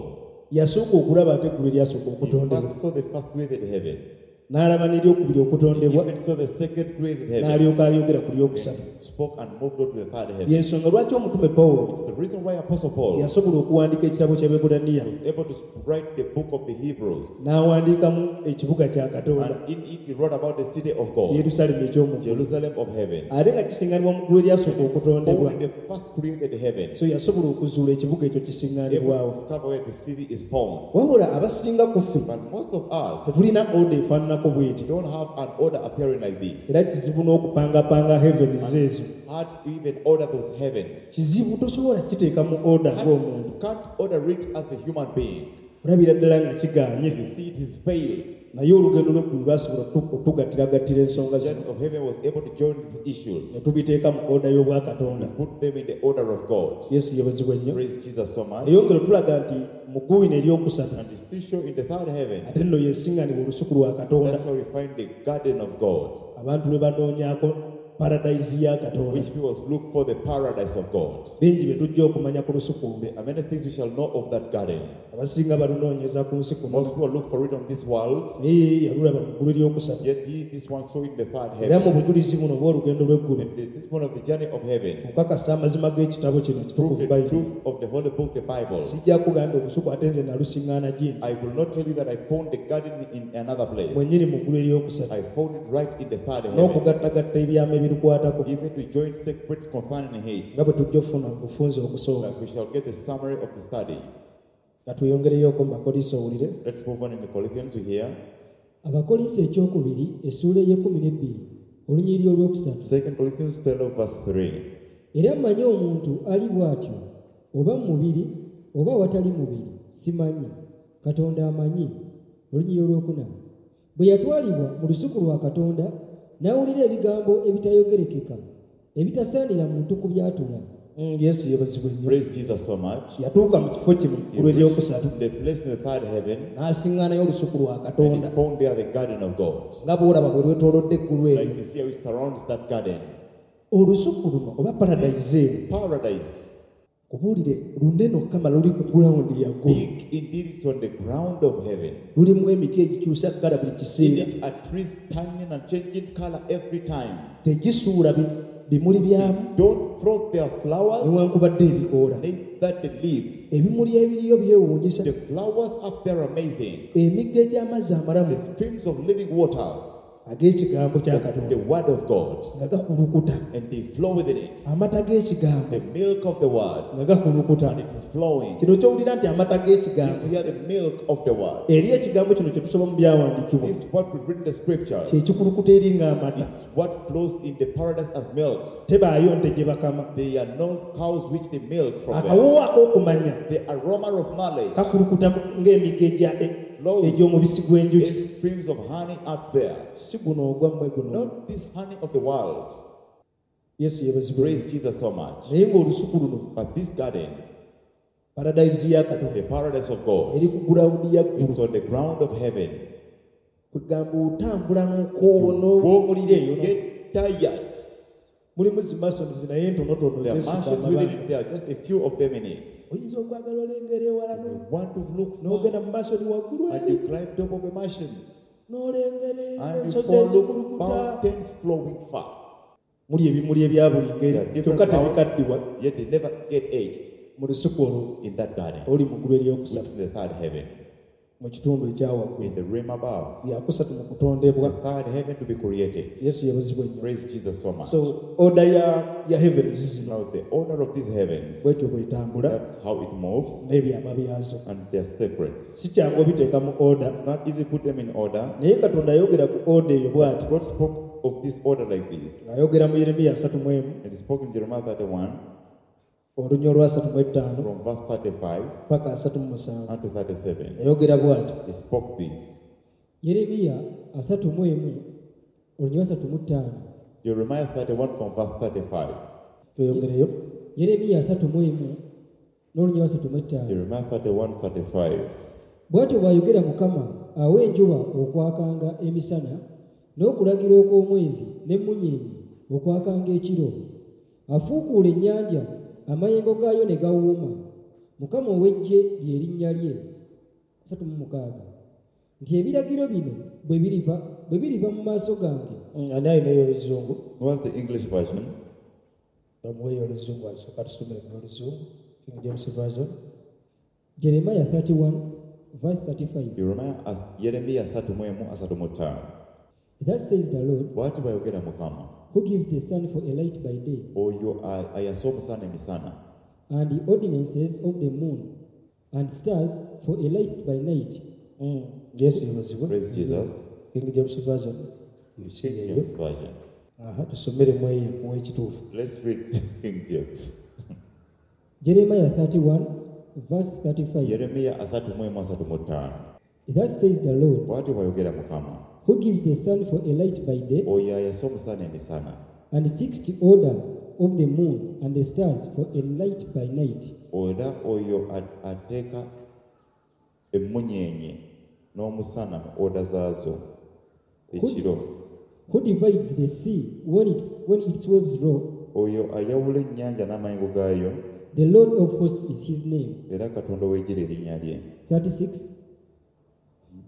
yasooka okulaba ate eggulu eryasooka he okutondebwa. first saw the first created heaven. N'alaba n'eryokubiri okutondebwa, He even saw the second created heaven. n'alyoka ayogera ku lyokusatu. And spoke and moved on to the third heaven. Y'ensonga lwaki omutume Pawulo It's the reason why Apostle Paul yasobola okuwandiika ekitabo ky'Abaebbulaniya. was able to write the book of the Hebrews. N'awandiikamu ekibuga kya Katonda, And in it he wrote about the city of God, Yerusaalemi eky'omu ggulu. Jerusalem of heaven. Ate nga kisiŋŋanibwa mu ggulu eryasooka okutondebwa. Only the first created heaven. So yasobola okuzuula ekibuga ekyo Able to kisiŋŋanibwawo. discover where the city is found. Wabula abasinga ku ffe But most of us tetulina order efaananako bw'eti. don't have an order appearing like this. Era kizibu n'okupangapanga heavens ezo. Hard to even order those heavens. Kizibu tosobola kukiteeka mu order Hard- ng'omuntu. You can't order it as a human being. Olabira ddala nga kigaanye. You see it is failed. Naye olugendo lw'eggulu lwasobola otu-, otugattiragattira ensonga The zino. journey of heaven was able to join the issues. Ne tubiteeka mu order y'obwakatonda. Put them in the order of God. Yesu yeebazibwe nnyo. Praise Jesus so much. Eyongera otulaga nti mu ggulu lino eryokusatu, And it's still shown in the third heaven. ate nno yesiŋŋanibwa olusuku lwa Katonda. That's why we find the garden of God. Abantu lwe banoonyaako paradise ya katonda which people look for the paradise of God. Bingi bye tujja okumanya ku lusuku olwo. There are many things we shall know of that garden. Abasinga balunoonyeza ku nsi kuno Most people look for it on this world, naye ye yalulaba mu ggulu eryokusatu yet he, this one saw it in the third era mu heaven. bujulizi buno obw'olugendo lw'eggulu And this one of the journey of heaven okukakasa amazima g'ekitabo kino prove kitukuvu the bayibuli truth of the holy book, the Bible. sijja kugamba nti olusuku ate nze nalusiŋŋaana gindi I will not tell you that I found the garden in another place. mwennyini mu ggulu eryokusatu I found it right in the third heaven. n'okugattagatta ebyama ebirukwatako Even to join secrets concerning it, nga bwe tujja okufuna mu bufunze okusooka that we shall get the summary of the study. nga tweyongereyoko mu bakoliso owulire Let's move on in the Corinthians we hear. Abakolinso ekyokubiri essuula ey'ekkumi n'ebbiri olunyiriri olwokusatu Second Corinthians twelve verse three. Era mmanyi omuntu ali bw'atyo oba mu mubiri oba awatali mubiri simanyi Katonda amanyi olunyiriri olwokuna bwe yatwalibwa mu lusuku lwa Katonda n'awulira ebigambo ebitayogerekeka ebitasaanira muntu kubyatula. Mm, yesu yeebazibwe nnyo Praise Jesus so much. Yatuuka mu kifo kino mu He ggulu eryokusatu reached the place in the third heaven n'asiŋŋaanayo olusuku lwa and he katonda found there the garden of God. Nga bw'olaba bwe lwetoolodde eggulu Like eryo you see how it surrounds that garden. Olusuku luno oba paradise eno Paradise. Kubuulire lunene okukama luli ku gulawundi yaggulu Big indeed, it's on the ground of heaven. Lulimu emiti egikyusa kkala buli In kiseera it are trees turning and changing color every time. Tegisuula bi- bimuli byamu Don't throw their flowers, newankubadde ebikoola neither the leaves. Ebimuli ebiriyo byewuunyisa The flowers up there are amazing. Emigga egy'amazzi amalamu The streams of living waters, ag'ekigambo kya the katonda word of God, nga gakulukuta and they flow within it. Amata g'ekigambo The milk of the word, nga gakulukuta and it is flowing. Kino kyowulira nti amata g'ekigambo This we are the milk of the word. Eri ekigambo kino kye tusoma mu byawandiikibwa This is what we read in the scriptures. Kyekikulukuta eri ng'amata It's what flows in the paradise as milk. Tebaayo nte gye bakama There are no cows which they milk from them. Akawoowo ak'okumanya The aroma of knowledge kakulukuta mu- ng'emigga egya e- flows egy'omubisi gw'enjuki as streams of honey up there. Si guno ogwammwe guno Not this honey of the world. Yesu yeebazibwe Praise Jesus so much. Naye ng'olusuku luno But this garden, paradise ya katonda the paradise of God, eri ku gulawundi ya ggulu it's on the ground of heaven. Kwegamba otambula n'okoowo n'owulira eyo You get tired. Mulimu zi masons naye ntonotono There are zesudde mansions within amabanga it. There are just a few of them in it. Oyinza okwagala olengera ewala You no- want to look far, n'ogenda mu masoni waggulu and eri you climb top of a mansion n'olengera and you ensozi follow ezikulukuta mountains flowing far. Muli ebimuli ebya buli There are ngeri different kyokka flowers, tebikaddiwa yet they never get aged mu lusuku olwo in that garden, oluli mu ggulu which eryokusatu is the third heaven, mu kitundu ekyawaggulu in the realm above, lyakusatu mu kutondebwa the third heaven to be created. Yesu yeebazibwe nnyo Praise Jesus so much. So order ya, ya heavens zino Now, the order of these heavens, bwetyo bwetambula that's how it moves, n'ebyama byazo and their secrets. Si kyangu obiteeka mu order It's not easy to put them in order. naye katonda ayogera ku order eyo bw'ati God spoke of this order like this. ng'ayogera mu yeremiya asatu mu emu And he spoke in Jeremiah thirty-one olunya olwa asatu mu ettaano from verse thirty-five paka asatu mu musanvu unto thirty-seven. Yayogera bw'ati He spoke this. Yeremiya asatu mu emu olunya asatu mu ttaano Jeremiah thirty-one from verse thirty-five. Tweyongereyo Yeremiya asatu mu emu n'olunya asatu mu ettaano Jeremiah thirty-one thirty-five. Bw'atyo bw'ayogera Mukama awa enjuba okwakanga emisana n'okulagira okw'omwezi n'emmunyeenye okwakanga ekiro afuukuula ennyanja amayengo gaayo ne gawuuma Mukama ow'eggye lye linnya lye asatu mu mukaaga nti ebiragiro bino bwe biriva bwe biriva mu maaso gange Mm, ani alinayo oluzungu What's the English version? Bamuweeyo oluzungu asooka tusomere mu oluzungu King James Version. Jeremiah thirty-one verse thirty-five. Jeremiah as Yeremiya asatu mu emu asatu mu ttaano. Thus says the Lord, Bw'ati bw'ayogera Mukama who gives the sun for a light by day, oyo a- ayasa omusana emisana and the ordinances of the moon and stars for a light by night. Mm, yesu yeebazibwe Praise Jesus. King James Version King eyo James Version. Aha, tusomeremu eyo ow'ekituufu Let's read King James. Jeremiah thirty-one, verse thirty-five. Yeremiya asatu mu emu asatu mu ttaano. Thus says the Lord, Bw'ati bw'ayogera Mukama who gives the sun for a light by day, oyo ayasa omusana emisana and fixed order of the moon and the stars for a light by night, era oyo a- ateeka emmunyeenye n'omusana mu oda zaazo ekiro. Who divides the sea when its, when its waves roar? Oyo ayawula ennyanja n'amayengo gaayo. The Lord of hosts is his name. Era Katonda ow'eggye erinnya lye. thirty-six.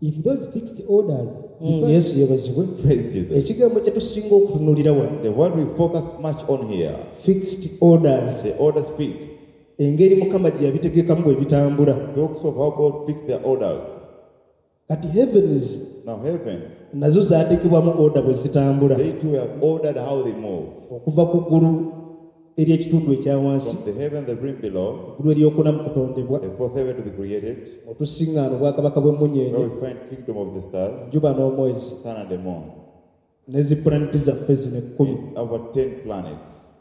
If those fixed orders Mm, depart, Yesu yeebazibwe. Praise Jesus. Ekigambo kye tusinga okutunuulira wano The word we focus much on here, fixed orders, the orders fixed, engeri Mukama gye yabitegekamu bwe bitambula. Talks of how God fixed their orders. Kati heavens Now heavens, nazo zaateekebwamu order bwe zitambula they too have ordered how they move. Okuva ku ggulu ery'ekitundu ekya wansi, From the heaven, the realm below, eggulu eryokuna mu kutondebwa, the fourth heaven to be created, otusiŋŋaana obwakabaka bw'emmunyeenye, where we find kingdom of the stars, enjuba n'omwezi, sun and the moon, ne zi pulaneti zaffe zino ekkumi. and our ten planets.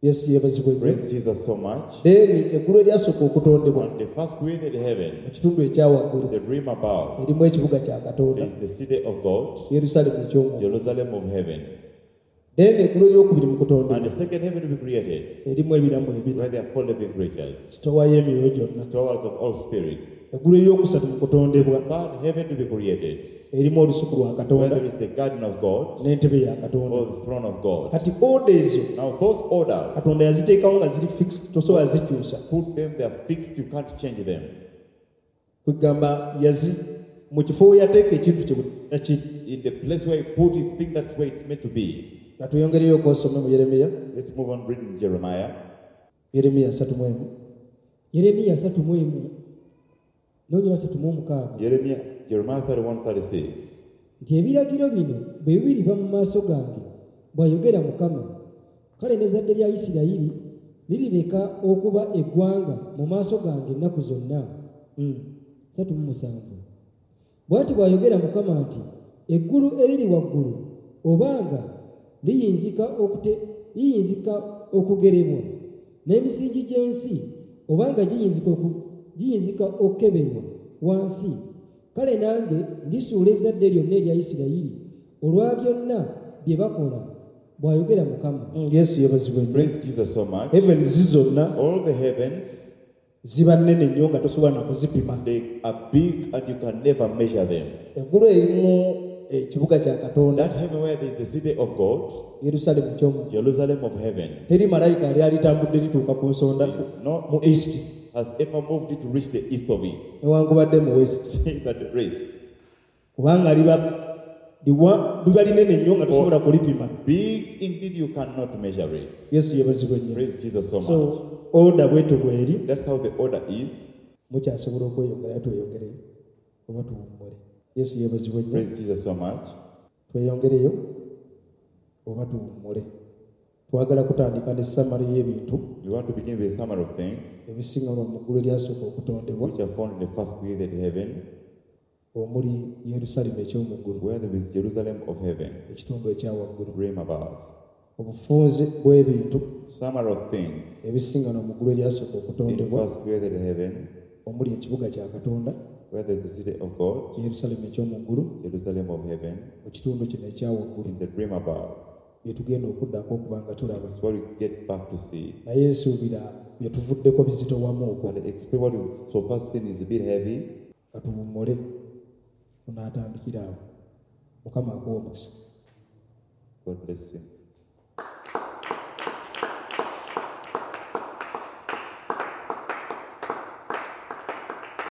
Yesu yeebazibwe nnyo. Praise Jesus so much. Then eggulu eryasooka okutondebwa On the first created heaven, mu kitundu ekya waggulu the realm above, erimu ekibuga kya Katonda, is the city of God, Yerusaalemi eky'omwoyo. Jerusalem of heaven. Then eggulu eryokubiri mu And kutondebwa the second heaven to be created, erimu ebiramu ebina, where there are four living creatures, sitowa y'emyoyo gyonna. stores of all spirits. Eggulu eryokusatu mu kutondebwa Third heaven to be created, erimu olusuku lwa where Katonda there is the garden of God n'entebe ya Katonda. or the throne of God. Kati oda ezo Now those orders, Katonda yaziteekawo nga ziri fixed, tosobola zikyusa. Put them, they are fixed, you can't change them. Kwegamba yazi mu kifo we yateeka ekintu kye bwe kiri. In the place where you put it, think that's where it's meant to be. Ka tweyongereyo okwosome mu Yeremiya. Let's move on reading Jeremiah. Yeremiya asatu mu emu. Yeremiya asatu mu emu n'olunyiriri asatu mu omukaaga. Jeremiah, Jeremiah thirty-one, thirty-six. Nti ebiragiro bino bwe biriva mu maaso gange, bw'ayogera Mukama, kale n'ezzadde lya Isirayiri lirireka okuba eggwanga mu maaso gange ennaku zonna. Mm. Asatu mu musanvu. Bw'ati bw'ayogera Mukama nti eggulu eriri waggulu obanga liyinzika okute-, liyinzika okugerebwa, n'emisingi gy'ensi obanga giyinzika oku-, giyinzika okukeberwa wansi, kale nange ndisuula ezzadde lyonna erya Isirayiri olwa byonna bye bakola, bw'ayogera Mukama. Mm, Yesu yeebazibwe nnyo. Praise Jesus so much. Heavens zonna All the heavens, ziba nnene nnyo nga tosobola na kuzipima. They are big and you can never measure them. Eggulu erimu ekibuga kya Katonda, That heaven where there is the city of God, Yerusaalemi eky'omu, Jerusalem of heaven, teri malayika yali alitambudde lituuka ku nsonda there is no mu east has ever moved it to reach the east of it. Newankubadde mu west, That the rest. Kubanga liba liwa liba linene nnyo nga tosobola kulipima. Big indeed, you cannot measure it. Yesu yeebazibwe nnyo. Praise Jesus so much. So order bwetyo bw'eri. That's how the order is. Mukyasobola okweyongerayo, tweyongereyo oba tuwummule. Yesu yeebazibwe nnyo. Praise Jesus so much. Tweyongereyo oba tuwummule. Twagala kutandika ne summary y'ebintu We want to begin with a summary of things ebisinga mu ggulu eryasooka okutondebwa, which are found in the first created heaven, omuli Yerusaalemi eky'omu ggulu, where there is Jerusalem of heaven, ekitundu ekya waggulu, realm above. Obufunze bw'ebintu Summary of things ebisiŋŋana mu ggulu eryasooka in the okutondebwa, first created heaven, omuli ekibuga kya Katonda, where there is the city of God, Yerusaalemi eky'omu ggulu, Jerusalem of heaven, mu kitundu kino ekya waggulu, in the realm above. Bye tugenda okuddako okuba nga tulaba. That's what we get back to see. Naye nsuubira bye tuvuddeko bizitowamu okwo. And expect what we've so far seen is a bit heavy. Katuwummule, tunaatandikira awo. Mukama akuwe omukisa. God bless you.